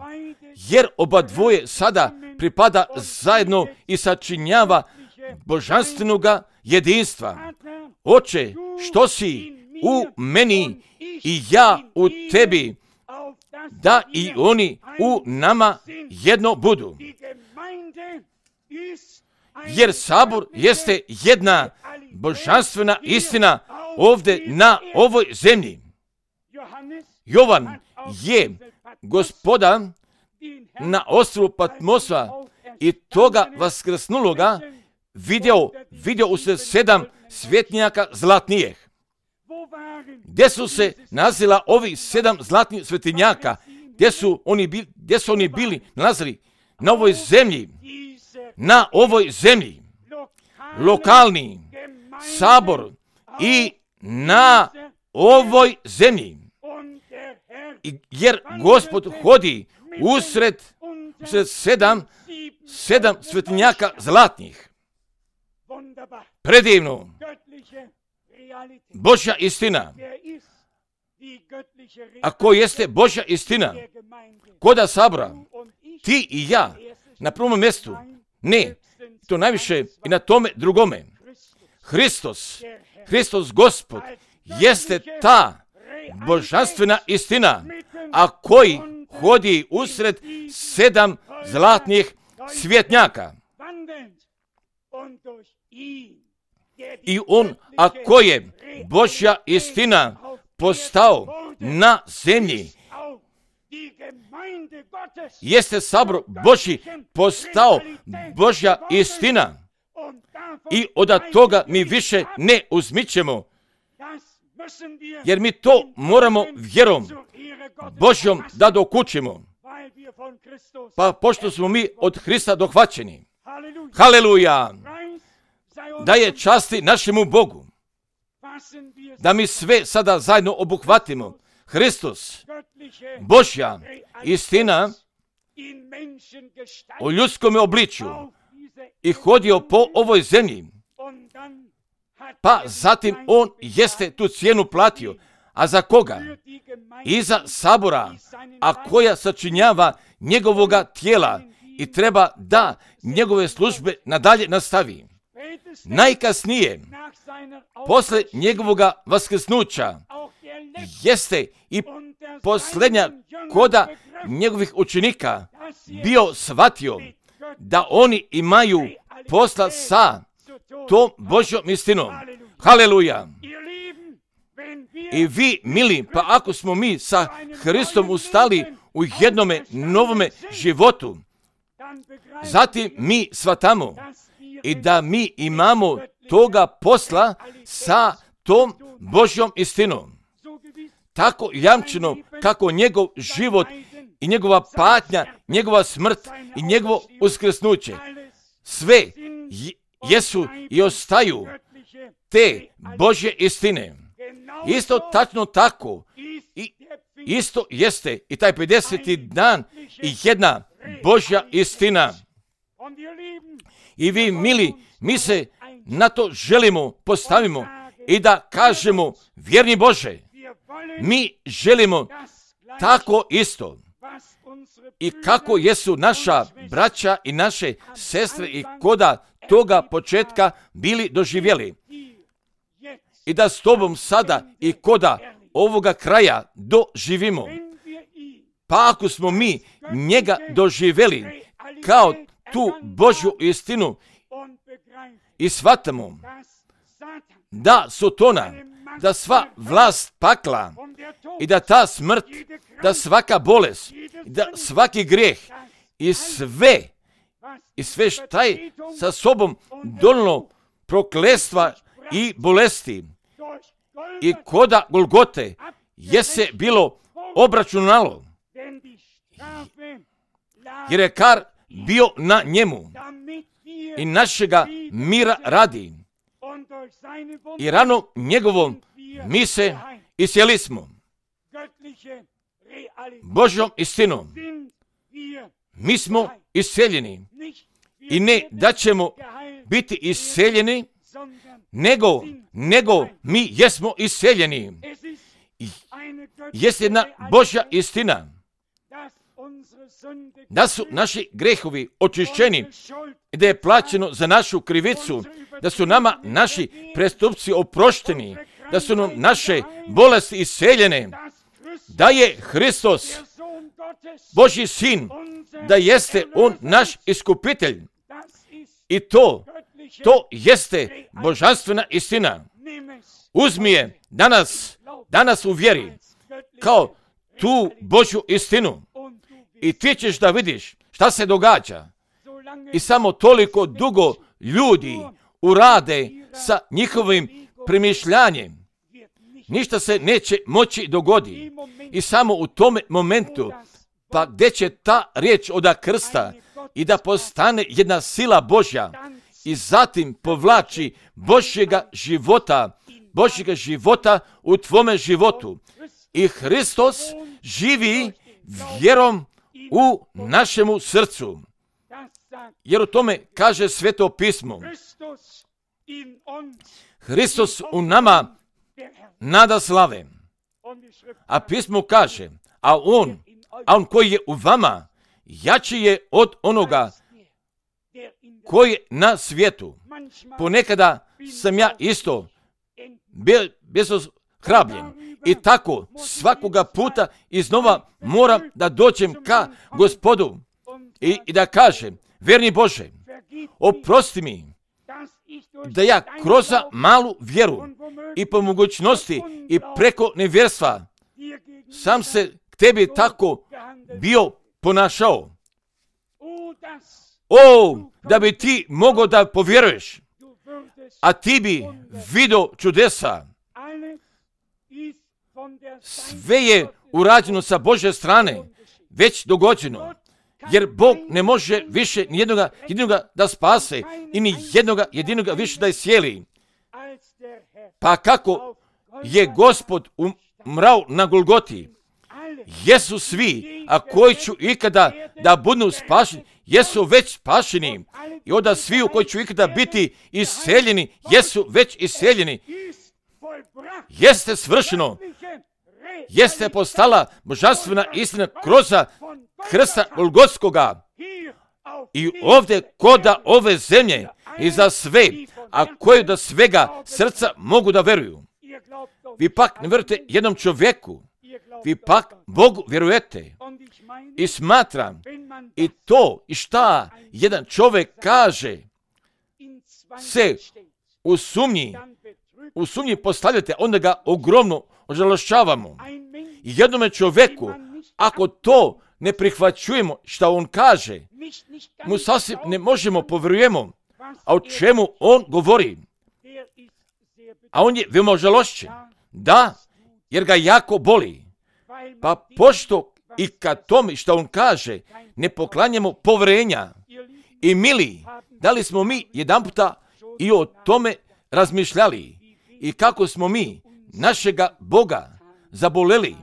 jer oba dvoje sada pripada zajedno i sačinjava božanstvenoga jedinstva. Oče, što si u meni i ja u tebi, da i oni u nama jedno budu. Jer sabor jeste jedna božanstvena istina ovdje na ovoj zemlji. Jovan je Gospoda na ostrvu Patmosa i toga vaskrsnuloga vidio, vidio u se sedam svjetnjaka zlatnijih. Gdje su se nazila ovi sedam zlatnih svetinjaka? Gdje su oni bili, gdje su oni bili nalazili? Na ovoj zemlji. Na ovoj zemlji. Lokalni sabor i na ovoj zemlji. I jer Gospod hodi usred, usred sedam, sedam svetinjaka zlatnih. Predivno. Božja istina. A ko jeste Božja istina? Koda sabora? Ti i ja na prvom mjestu. Ne, to najviše i na tome drugome. Hristos, Hristos Gospod, jeste ta božanstvena istina, a koji hodi usred sedam zlatnih svjetnjaka. I on, ako je Božja istina postao na zemlji, jeste sabor Božji postao Božja istina. I od toga mi više ne uzmićemo, jer mi to moramo vjerom Božjom da dokučimo. Pa pošto smo mi od Hrista dohvaćeni. Haleluja! Da je časti našemu Bogu. Da mi sve sada zajedno obuhvatimo. Hristos, Božja istina u ljudskom obličju i hodio po ovoj zemlji. Pa zatim on jeste tu cijenu platio. A za koga? I za sabora, a koja sačinjava njegovoga tijela i treba da njegove službe nadalje nastavi. Najkasnije, posle njegovoga vaskrsnuća, jeste i posljednja koda njegovih učenika bio shvatio da oni imaju posla sa tom Božjom istinom. Haleluja! I vi, mili, pa ako smo mi sa Hristom ustali u jednome novome životu, zatim mi shvatamo i da mi imamo toga posla sa tom Božjom istinom. Tako jamčeno kako njegov život i njegova patnja, njegova smrt i njegovo uskrsnuće, sve jesu i ostaju te Božje istine. Isto tačno tako, i isto jeste i taj pedeseti dan i jedna Božja istina. I vi, mili, mi se na to želimo, postavimo i da kažemo, vjerni Bože, mi želimo tako isto i kako jesu naša braća i naše sestre i koda toga početka bili doživjeli. I da s tobom sada i koda ovoga kraja doživimo. Pa ako smo mi njega doživjeli kao tu Božju istinu i shvatamo da Sotona, da sva vlast pakla i da ta smrt, da svaka bolest, da svaki grijeh i sve, i sve šta je sa sobom donijelo prokletstva i bolesti i koda Golgote je se bilo obračunalo, jer je kar bio na njemu i našega mira radi. I rano njegovom mi se isjeli smo. Božjom istinom mi smo iseljeni. I ne da ćemo biti iseljeni, nego, nego mi jesmo iseljeni. Jest jedna Božja istina da su naši grehovi očišćeni, da je plaćeno za našu krivicu, da su nama naši prestupci oprošteni, da su nam naše bolesti iseljene, da je Hristos Božji sin, da jeste on naš iskupitelj. I to, to jeste božanstvena istina. Uzmi je danas, danas u vjeri, kao tu Božju istinu. I ti ćeš da vidiš šta se događa. I samo toliko dugo ljudi urade sa njihovim premišljanjem. Ništa se neće moći dogoditi. I samo u tome momentu, pa gdje će ta riječ oda krsta i da postane jedna sila Božja i zatim povlači Božjega života, Božjega života u tvome životu. I Hristos živi vjerom u našemu srcu. Jer u tome kaže Sveto pismo. Hristos u nama nada slave. A pismo kaže, a on, a on koji je u vama, jači je od onoga koji je na svijetu. Ponekada sam ja isto bezhrabljen. I tako svakoga puta iznova moram da dođem ka Gospodu i, i da kažem, verni Bože, oprosti mi da ja kroz malu vjeru i po mogućnosti i preko nevjerstva sam se k tebi tako bio ponašao. O, da bi ti mogao da povjeruješ, a ti bi vidio čudesa. Sve je urađeno sa Božje strane, već dogođeno, jer Bog ne može više ni jednoga, jednoga da spase i ni jednoga jedinoga više da iscijeli. Pa kako je Gospod umrao na Golgoti, jesu svi, a koji ću ikada da budu spašeni, jesu već spašeni. I onda svi koji ću ikada biti iseljeni, jesu već iseljeni. Jeste svršeno, jeste postala božanstvena istina kroz krsta Golgotskoga. I ovdje koda ove zemlje i za sve, a koji do svega srca mogu da veruju. Vi pak ne vjerujete jednom čovjeku, vi pak Bogu vjerujete. I smatram i to i šta jedan čovjek kaže se u sumnji, u sumnji postavljate, onda ga ogromno ožalošćavamo. I jednome čovjeku, ako to ne prihvaćujemo šta on kaže, mu sasvim ne možemo povjerujemo, a o čemu on govori. A on je veoma ožalošćen. Da, jer ga jako boli. Pa pošto i kad tome šta on kaže ne poklanjamo povjerenja. I mili, da li smo mi jedan puta i o tome razmišljali i kako smo mi našega Boga zaboleli.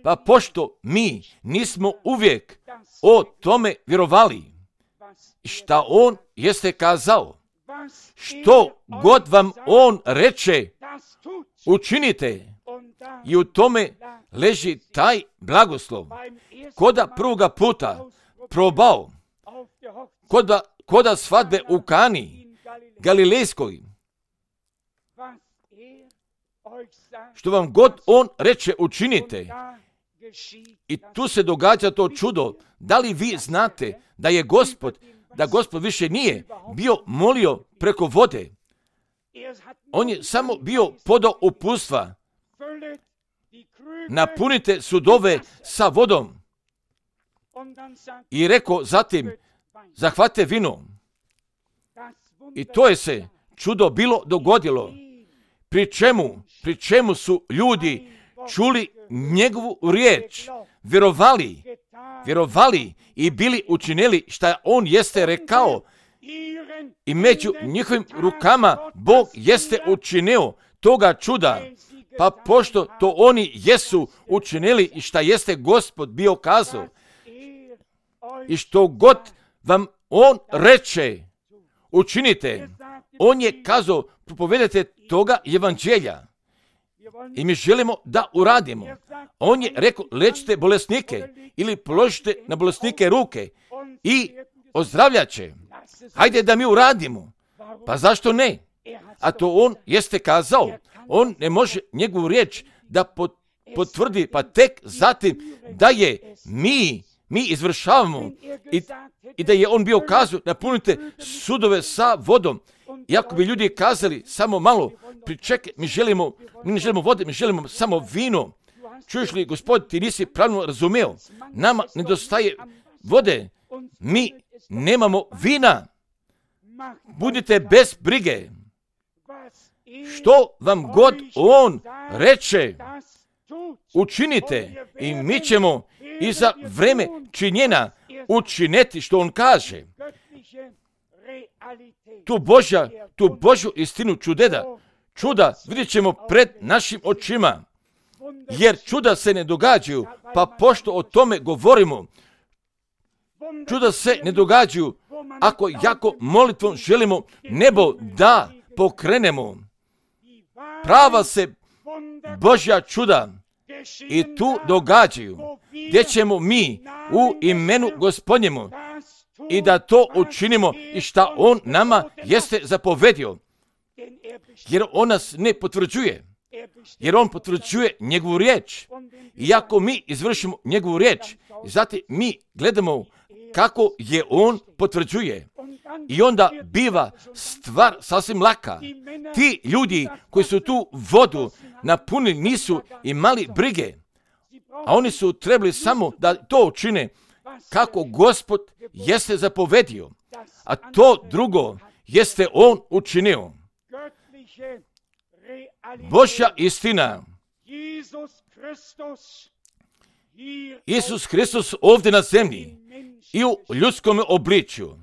Pa pošto mi nismo uvijek o tome vjerovali, šta on jeste kazao, što god vam on reče, učinite i u tome leži taj blagoslov. Koda prvoga puta probao, koda, koda svadbe u Kani, Galilejskoj, što vam god on reče učinite, i tu se događa to čudo. Da li vi znate da je Gospod, da Gospod više nije bio molio preko vode? On je samo bio podao uputstva. Napunite sudove sa vodom. I rekao zatim, zahvate vino. I to je se čudo bilo dogodilo. Pri čemu, pri čemu su ljudi čuli njegovu riječ, vjerovali, vjerovali i bili učinili šta on jeste rekao. I među njihovim rukama Bog jeste učinio toga čuda. Pa pošto to oni jesu učinili i šta jeste Gospod bio kazao, i što god vam on reče, učinite. On je kazao, propovedajte toga evanđelja. I mi želimo da uradimo. On je rekao, lečite bolesnike ili položite na bolesnike ruke i ozdravljat će. Hajde da mi uradimo. Pa zašto ne? A to on jeste kazao. On ne može njegovu riječ da potvrdi, pa tek zatim da je mi, mi izvršavamo i, i da je on bio kazao, napunite sudove sa vodom. Iako bi ljudi kazali samo malo, pričekaj, mi želimo, mi ne želimo vode, mi želimo samo vino. Čuješ li, Gospod, ti nisi pravilno razumeo. Nama nedostaje vode. Mi nemamo vina. Budite bez brige. Što vam god on reče, učinite i mi ćemo i za vreme činjena učiniti što on kaže. Tu Božja, tu Božju istinu čudeda, čuda vidjet ćemo pred našim očima, jer čuda se ne događaju, pa pošto o tome govorimo, čuda se ne događaju ako jako molitvom želimo nebo da pokrenemo. Prava se Božja čuda i tu događaju, gdje ćemo mi u imenu Gospodnjemu i da to učinimo i šta on nama jeste zapovedio. Jer on nas ne potvrđuje, jer on potvrđuje njegovu riječ. I ako mi izvršimo njegovu riječ, zatim mi gledamo kako je on potvrđuje. I onda biva stvar sasvim laka. Ti ljudi koji su tu vodu napunili nisu imali brige, a oni su trebali samo da to učine kako Gospod jeste zapovedio, a to drugo jeste on učinio. Božja istina. Isus Hristos ovdje na zemlji i u ljudskom obličju.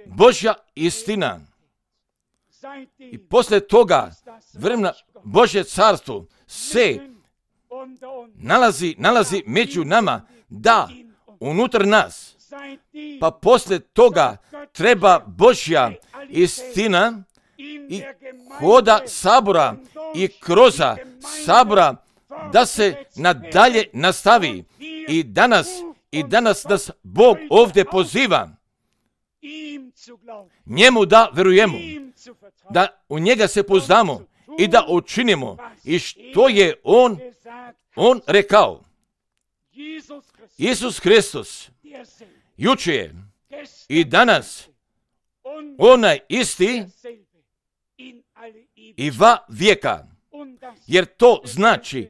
Božja istina. I posle toga vremena Božje carstvo se nalazi, nalazi među nama, da, unutar nas. Pa posle toga treba Božja istina i hoda sabora i kroza sabora da se nadalje nastavi. I danas, i danas nas Bog ovdje poziva njemu da verujemo, da u njega se poznamo i da učinimo i što je on, on rekao. Isus Hristos juče je i danas onaj isti i va vijeka, jer to znači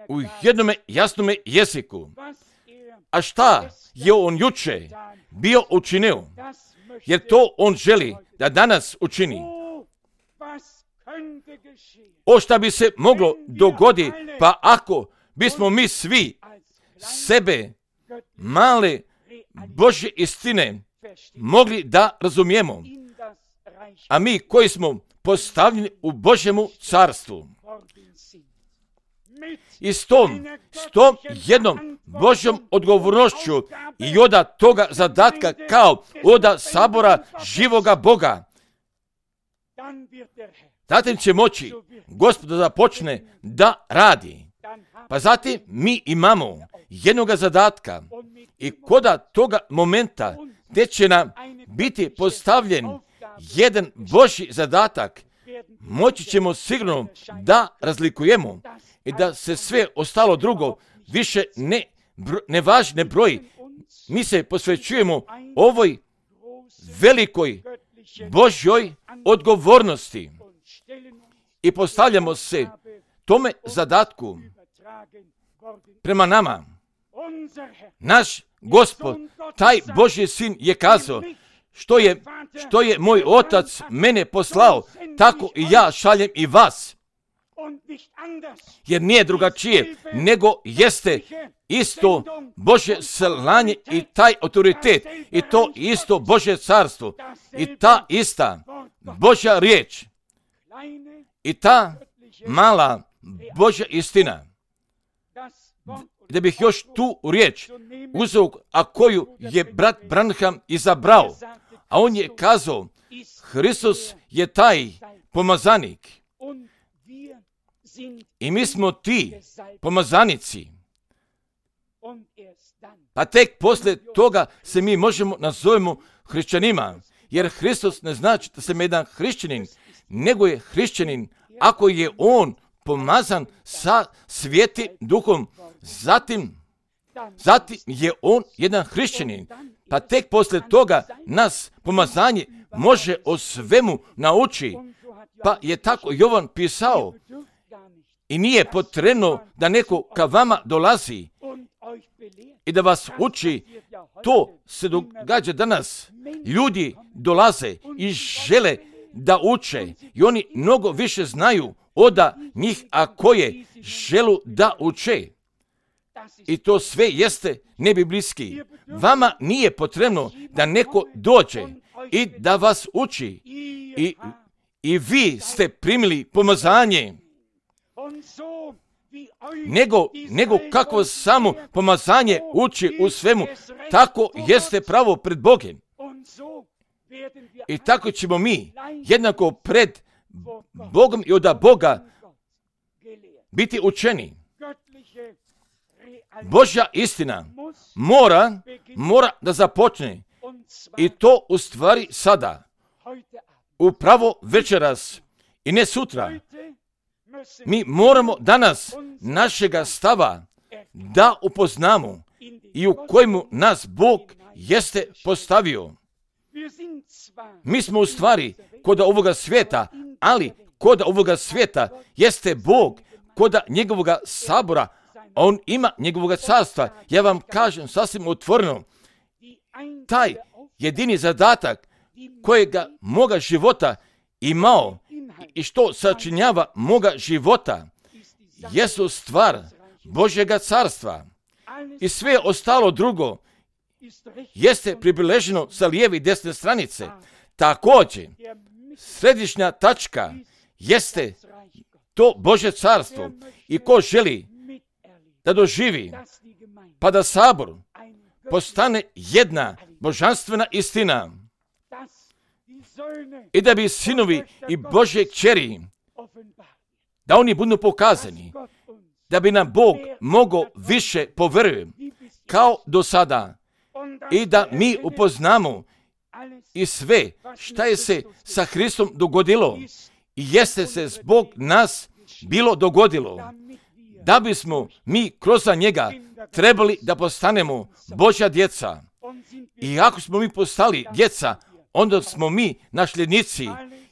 u jednom jasnom jeziku. A šta je on juče bio učinio? Jer to on želi da danas učini. O šta bi se moglo dogoditi, pa ako bismo mi svi sebe male Božje istine mogli da razumijemo, a mi koji smo postavljeni u Božjemu carstvu. I s tom, s tom jednom Božjom odgovornošću i oda toga zadatka kao oda sabora živoga Boga, zatim će moći Gospod da započne da radi. Pa zatim mi imamo jednoga zadatka i koda toga momenta gdje će nam biti postavljen jedan Božji zadatak, moći ćemo sigurno da razlikujemo i da se sve ostalo drugo više ne, bro, ne važi, ne broji. Mi se posvećujemo ovoj velikoj Božjoj odgovornosti i postavljamo se tome zadatku prema nama. Naš Gospod, taj Božji sin je kazao, što je, što je moj otac mene poslao, tako i ja šaljem i vas. Jer nije drugačije, nego jeste isto Božje slanje i taj autoritet, i to isto Božje carstvo, i ta ista Božja riječ, i ta mala Božja istina. Da bih još tu riječ uzeo, a koju je brat Branham izabrao, a on je kazao, Hristos je taj pomazanik i mi smo ti pomazanici. Pa tek poslije toga se mi možemo nazovemo hrišćanima, jer Hristos ne znači da sam jedan hrišćanin, nego je hrišćanin ako je on pomazan sa Svetim Duhom. Zatim, zatim je on jedan hrišćanin, pa tek poslije toga nas pomazanje može o svemu nauči. Pa je tako Jovan pisao i nije potrebno da neko ka vama dolazi i da vas uči. To se događa danas. Ljudi dolaze i žele da uče i oni mnogo više znaju od njih, a koje želu da uče. I to sve jeste nebiblijski. Vama nije potrebno da neko dođe i da vas uči. I, i vi ste primili pomazanje. Nego, nego kako samo pomazanje uči u svemu, tako jeste pravo pred Bogom. I tako ćemo mi jednako pred Bogom i od Boga biti učeni. Božja istina mora, mora da započne i to u stvari sada, upravo večeras i ne sutra. Mi moramo danas našega stava da upoznamo i u kojemu nas Bog jeste postavio. Mi smo u stvari kod ovoga svijeta, ali kod ovoga svijeta jeste Bog, kod njegovoga sabora, on ima njegovoga carstva. Ja vam kažem sasvim otvoreno, taj jedini zadatak kojega moga života imao i što sačinjava moga života jesu stvar Božjega carstva. I sve ostalo drugo jeste pribileženo sa lijeve i desne stranice. Također, središnja tačka jeste to Božje carstvo. I ko želi da doživi, pa da sabor postane jedna božanstvena istina i da bi sinovi i Božje kćeri, da oni budu pokazani, da bi nam Bog mogao više poverujem kao do sada i da mi upoznamo i sve šta je se sa Hristom dogodilo i jeste se zbog nas bilo dogodilo, da bismo mi kroz njega trebali da postanemo Božja djeca. I ako smo mi postali djeca, onda smo mi nasljednici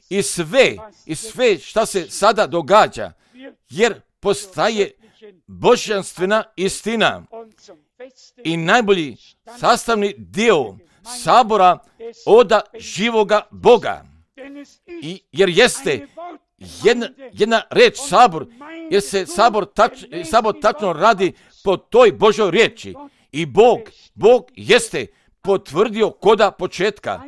i sve, i sve šta se sada događa, jer postaje božanstvena istina i najbolji sastavni dio sabora od živoga Boga. I, jer jeste jedna, jedna reč sabor, jer se sabor, tač, sabor tačno radi po toj Božoj riječi. I Bog, Bog jeste potvrdio koda početka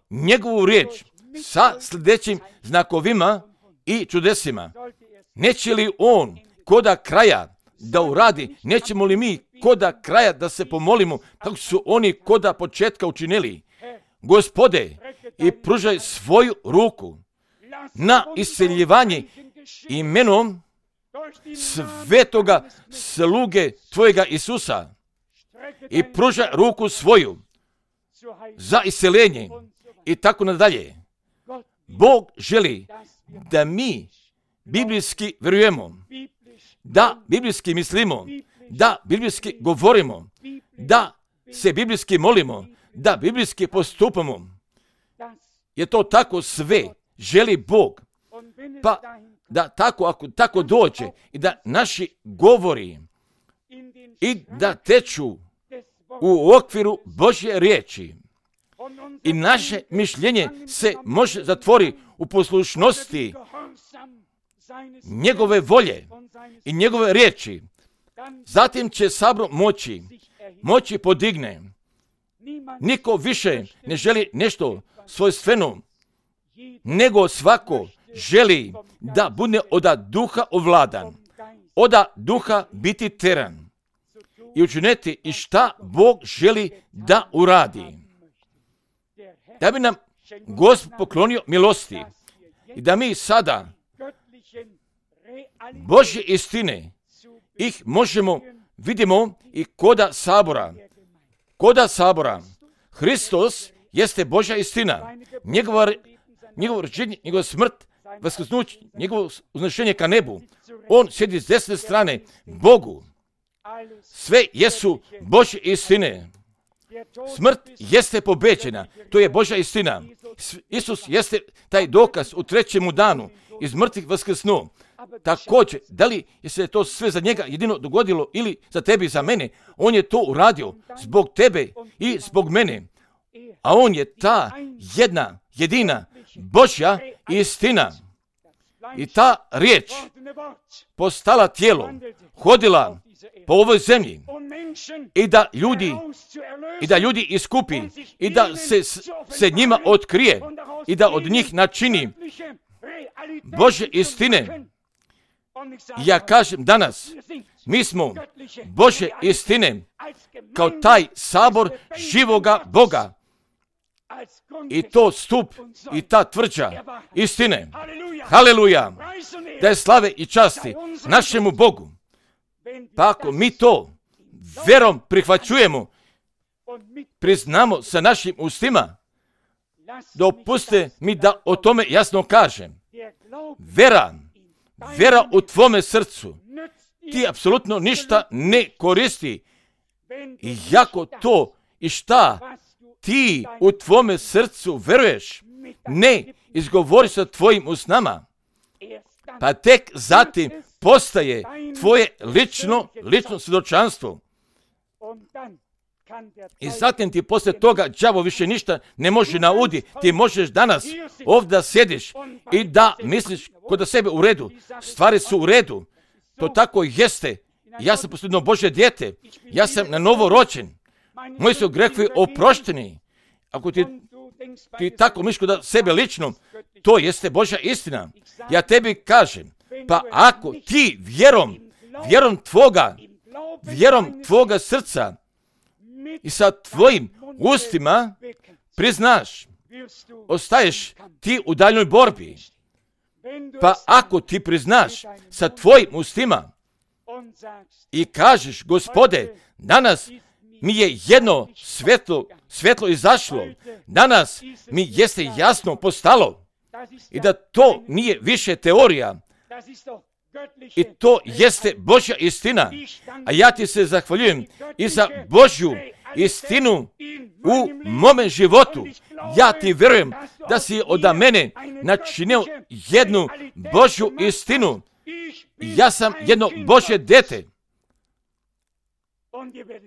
njegovu riječ sa sljedećim znakovima i čudesima. Neće li on koda kraja da uradi, nećemo li mi koda kraja da se pomolimo kako su oni koda početka učinili? Gospode, i pružaj svoju ruku na isceljivanje imenom svetoga sluge tvojega Isusa i pruža ruku svoju za isceljenje i tako nadalje. Bog želi da mi biblijski vjerujemo, da biblijski mislimo, da biblijski govorimo, da se biblijski molimo, da biblijski postupamo. Je to tako sve želi Bog. Pa da tako, ako tako dođe i da naši govori i da teču u okviru Božje riječi i naše mišljenje se može zatvori u poslušnosti njegove volje i njegove riječi, zatim će sabor moći, moći podigne. Niko više ne želi nešto svojstveno, nego svako želi da bude od duha ovladan, od duha biti teran i učiniti i šta Bog želi da uradi. Da bi nam Gospod poklonio milosti i da mi sada Božje istine ih možemo vidimo i koda sabora. Koda sabora. Hristos jeste Božja istina. Njegova, njegovo rođenje, njegova smrt, vaskrsnuće, njegovo uznešenje ka nebu. On sjedi s desne strane Bogu. Sve jesu Božje istine. Smrt jeste pobeđena. To je Božja istina. Isus jeste taj dokaz u trećemu danu iz mrtvih vaskrsnuo. Također, da li je se to sve za njega jedino dogodilo ili za tebe i za mene? On je to uradio zbog tebe i zbog mene. A on je ta jedna, jedina Božja istina. I ta riječ postala tijelo, hodila po ovoj zemlji i da ljudi i da ljudi iskupi i da se, se njima otkrije i da od njih načini Božje istine. Ja kažem danas, mi smo Božje istine kao taj sabor živoga Boga i to stup i ta tvrđa istine. Haleluja! Da je slave i časti našemu Bogu. Pa ako mi to verom prihvaćujemo, priznamo sa našim ustima, dopuste mi da o tome jasno kažem. Vera, vera u tvome srcu ti apsolutno ništa ne koristi. Iako to i šta ti u tvome srcu veruješ, ne izgovori sa tvojim usnama, pa tek zatim postaje tvoje lično, lično svjedočanstvo. I zatim ti poslije toga đavo više ništa ne može naudi. Ti možeš danas ovdje da sjediš i da misliš kod da sebe u redu. Stvari su u redu. To tako jeste. Ja sam posljedno Božje dijete. Ja sam na novo rođen. Moji su grehovi oprošteni. Ako ti, ti tako misliš kod sebe lično, to jeste Božja istina. Ja tebi kažem, pa ako ti vjerom, vjerom tvoga, vjerom tvoga srca i sa tvojim ustima priznaš, ostaješ ti u daljnoj borbi. Pa ako ti priznaš sa tvojim ustima i kažeš, Gospode, danas mi je jedno svjetlo, svjetlo izašlo, danas mi jeste jasno postalo i da to nije više teorija i to jeste Božja istina, a ja ti se zahvaljujem i za Božju istinu u mome životu. Ja ti vjerujem da si od mene načinio jednu Božju istinu. Ja sam jedno Božje dete.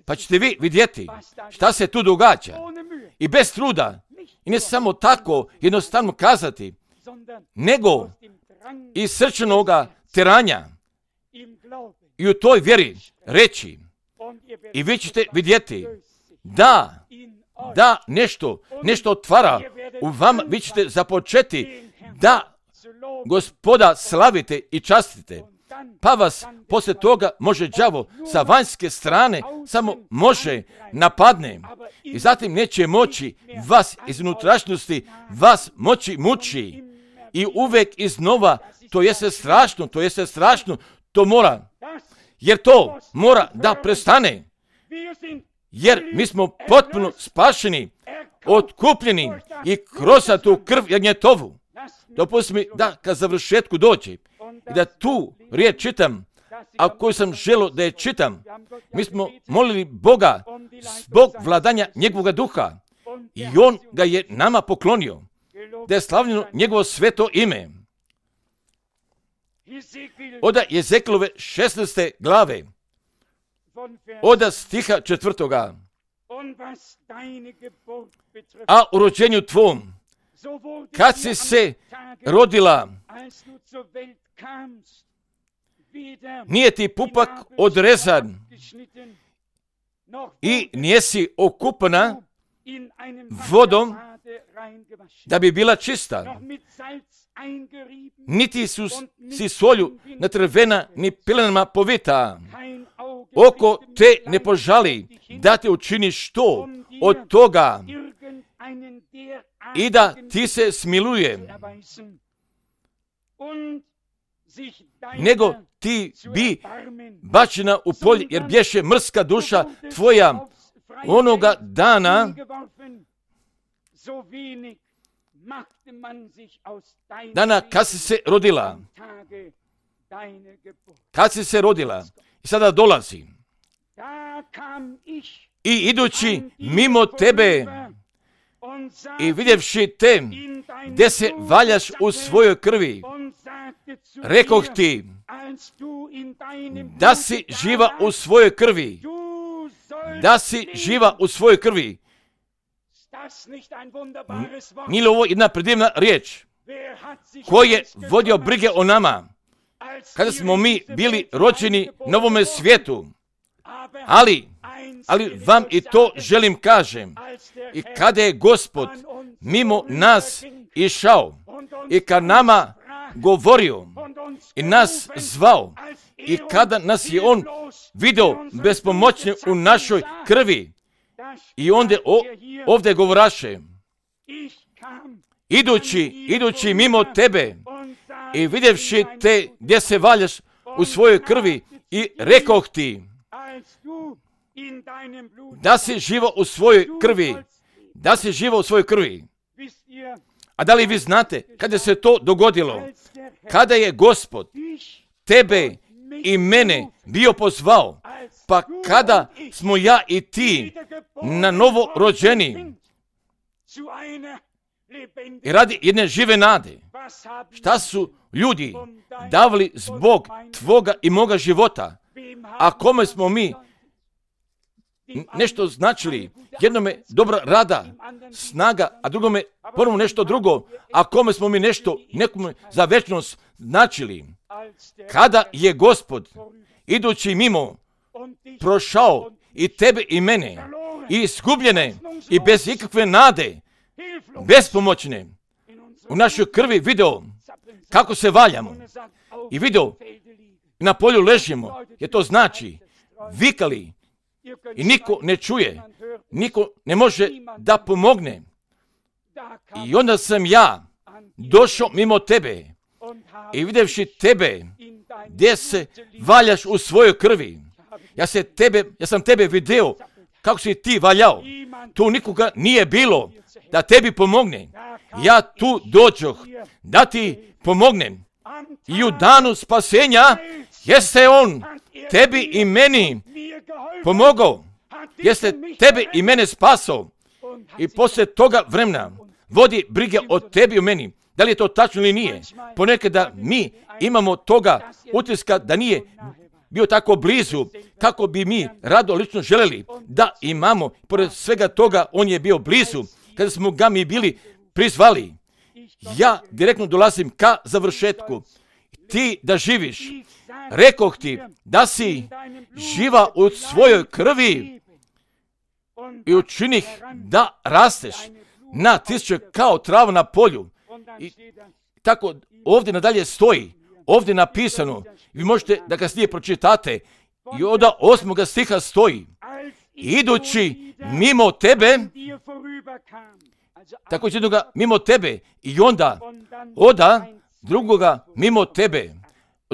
Pa ćete vi vidjeti šta se tu događa. I bez truda. I ne samo tako jednostavno kazati, nego iz srčanoga teranja i u toj vjeri reći. I vi ćete vidjeti da, da nešto, nešto otvara u vama, vi ćete započeti da Gospoda slavite i častite. Pa vas poslije toga može đavo sa vanjske strane samo može napadne i zatim neće moći vas iz unutrašnjosti vas moći muči i uvijek iznova to jeste strašno, to jeste strašno, to mora, jer to mora da prestane, jer mi smo potpuno spašeni, otkupljeni i kroz tu krv jagnjetovu. Dopusti mi da ka završetku dođe i da tu riječ čitam, a koju sam želio da je čitam. Mi smo molili Boga zbog vladanja njegovog duha i on ga je nama poklonio, da je slavljeno njegovo sveto ime. Oda Jezekilove šesnaeste glave, oda stiha četvrtoga. A u rođenju tvom, kad si se rodila, nije ti pupak odrezan i nijesi okupana vodom da bi bila čista, niti su si solju natrvena ni pilenama povita. Oko te ne požali da te učini što od toga i da ti se smiluje, nego ti bi bačena u polje, jer bješe mrska duša tvoja onoga dana, dana kad si se rodila. Kad si se rodila. I sada dolazi. I idući mimo tebe i vidjevši te, gdje se valjaš u svojoj krvi, rekoh ti, da si živa u svojoj krvi, da si živa u svojoj krvi. Nije li ovo jedna predivna riječ? Ko je vodio brige o nama, kada smo mi bili rođeni na ovome svijetu? Ali, ali vam i to želim kažem, i kada je Gospod mimo nas išao i kad nama govorio i nas zvao i kada nas je on vidio bespomoćni u našoj krvi, i onda o, ovdje govoraše, idući, idući mimo tebe i vidjevši te gdje se valjaš u svojoj krvi i rekoh ti, da si živo u svojoj krvi, da si živo u svojoj krvi. A da li vi znate kada se to dogodilo? Kada je Gospod tebe i mene bio pozvao, pa kada smo ja i ti na novo rođeni i radi jedne žive nade, šta su ljudi davali zbog tvoga i moga života? A kome smo mi nešto značili? Jednome dobra rada, snaga, a drugome prvo nešto drugo. A kome smo mi nešto nekome za večnost značili? Kada je Gospod idući mimo prošao i tebe i mene, i izgubljene i bez ikakve nade, bespomoćne, u našoj krvi video kako se valjamo i video na polju ležimo, jer to znači vikali i niko ne čuje, niko ne može da pomogne. I onda sam ja došao mimo tebe i vidjevši tebe gdje se valjaš u svojoj krvi, ja, se tebe, ja sam tebe vidio kako si ti valjao. Tu nikoga nije bilo da tebi pomogne. Ja tu dođoh da ti pomognem. I u danu spasenja jeste on tebi i meni pomogao. Jeste tebe i mene spasao. I poslije toga vremena vodi brige o tebi i o meni. Da li je to tačno ili nije? Ponekada mi imamo toga utiska da nije bio tako blizu, kako bi mi rado lično željeli da imamo. Pored svega toga, on je bio blizu, kada smo ga mi bili prizvali. Ja direktno dolazim ka završetku. Ti da živiš, rekoh ti da si živa u svojoj krvi i učinih da rasteš na tisuće kao trava na polju. I tako ovdje nadalje stoji, ovdje napisano, vi možete da kasnije pročitate, i od osmoga stiha stoji, idući mimo tebe, tako će jednoga mimo tebe, i onda oda drugoga mimo tebe.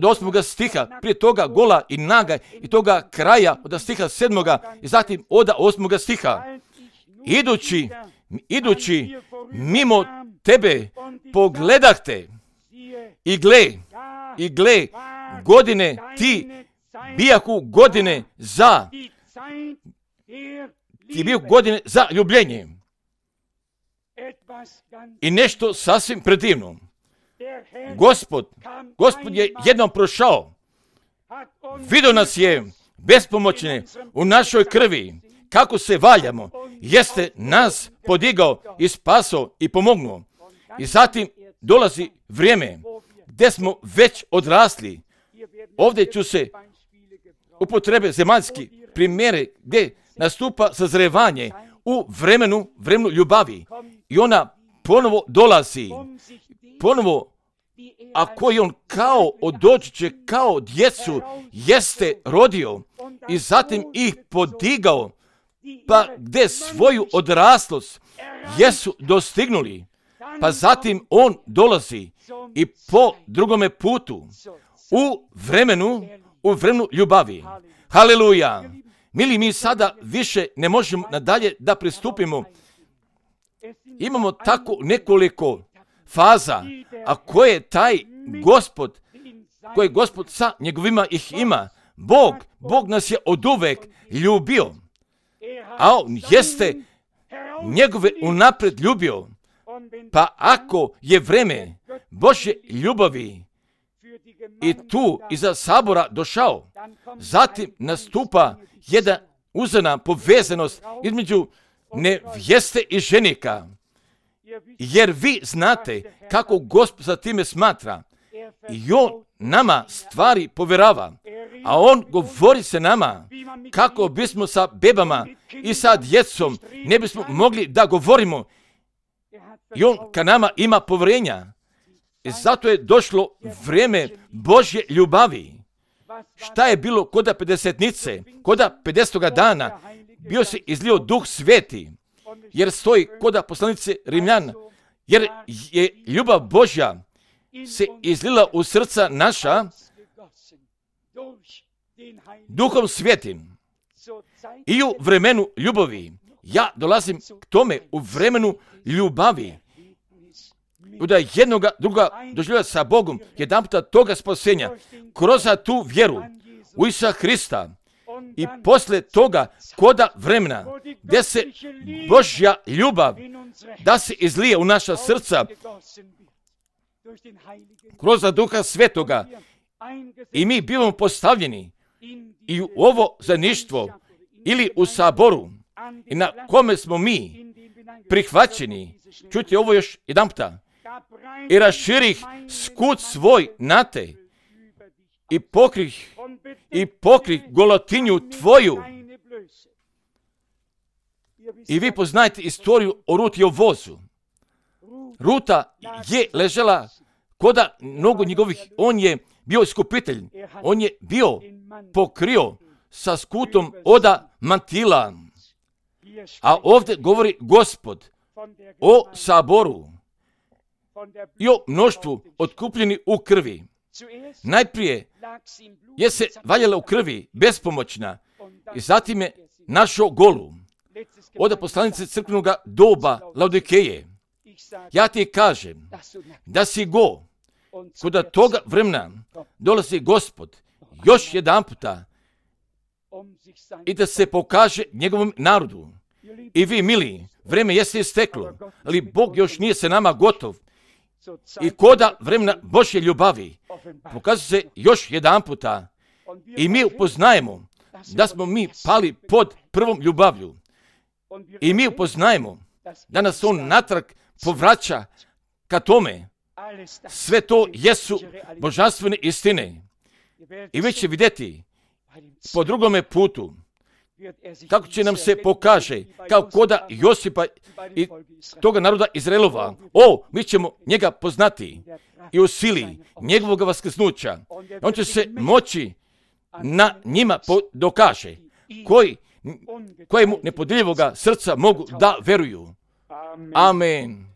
od osmoga stiha, prije toga gola i naga i toga kraja od stiha sedmoga i zatim od osmoga stiha. Idući, idući mimo tebe pogledah te i gle, i gle, godine ti bijahu godine za, ti bijahu godine za ljubljenje. I nešto sasvim predivno. Gospod, Gospod je jednom prošao, vidio nas je bespomoćne u našoj krvi, kako se valjamo, jeste nas podigao i spasao i pomognuo. I zatim dolazi vrijeme gdje smo već odrasli. Ovdje ću se upotrebe zemaljski primjere gdje nastupa sazrevanje u vremenu, vremenu ljubavi. I ona ponovo dolazi, ponovo, a koji on kao doći će kao djecu jeste rodio i zatim ih podigao, pa gdje svoju odraslost jesu dostignuli, pa zatim on dolazi i po drugome putu u vremenu, u vremenu ljubavi. Haleluja! Mili, mi sada više ne možemo nadalje da pristupimo. Imamo tako nekoliko faza, a koje je taj Gospod, koji Gospod sa njegovima ih ima. Bog, Bog nas je oduvek ljubio, a on jeste njegove unapred ljubio. Pa ako je vreme Božje ljubavi i tu iza sabora došao, zatim nastupa jedna uzana povezanost između nevjeste i ženika. Jer vi znate kako Gospod sa time smatra. I on nama stvari povjerava, a on govori se nama kako bismo sa bebama i sa djecom ne bismo mogli da govorimo. I on ka nama ima povjerenja. I zato je došlo vrijeme Božje ljubavi. Šta je bilo koda pedesetnice, koda pedesetoga dana, bio se izlio Duh Sveti, jer stoji koda poslanice Rimljana, jer je ljubav Božja se izlila u srca naša Duhom Svetim. I u vremenu ljubavi, ja dolazim k tome, u vremenu ljubavi, da jednoga druga doživlja sa Bogom, jedan puta toga spasenja, kroz tu vjeru u Isusa Hrista i posle toga koda vremena, gdje se Božja ljubav da se izlije u naša srca kroz Duha Svetoga i mi bivamo postavljeni i u ovo zajedništvo ili u saboru i na kome smo mi prihvaćeni. Čujte ovo još jedan puta. I raširih skut svoj na te i pokrih i pokrih golotinju tvoju. I vi poznajete istoriju o Ruti i o vozu. Ruta je ležela koda mnogo njegovih, on je bio iskupitelj, on je bio pokrio sa skutom oda mantila. A ovdje govori Gospod o saboru i o mnoštvu otkupljeni u krvi. Najprije je se valjala u krvi, bespomoćna, i zatim je našao golu. Od poslanice crkvenog doba Laodikeje. Ja ti kažem da si go, kod toga vremena dolazi Gospod još jedan puta i da se pokaže njegovom narodu. I vi, mili, vreme jeste isteklo, ali Bog još nije se nama gotov. I koda vremena Božje ljubavi pokazuje se još jedan puta i mi upoznajemo da smo mi pali pod prvom ljubavlju. I mi upoznajemo da nas on natrag povraća ka tome. Sve to jesu božanstvene istine. I vi će vidjeti po drugome putu kako će nam se pokaže kao koda Josipa i toga naroda Izraelova. O, mi ćemo njega poznati i u sili njegovog vaskrsnuća. On će se moći na njima dokaže koji kojemu nepodjeljivoga srca mogu da veruju. Amen.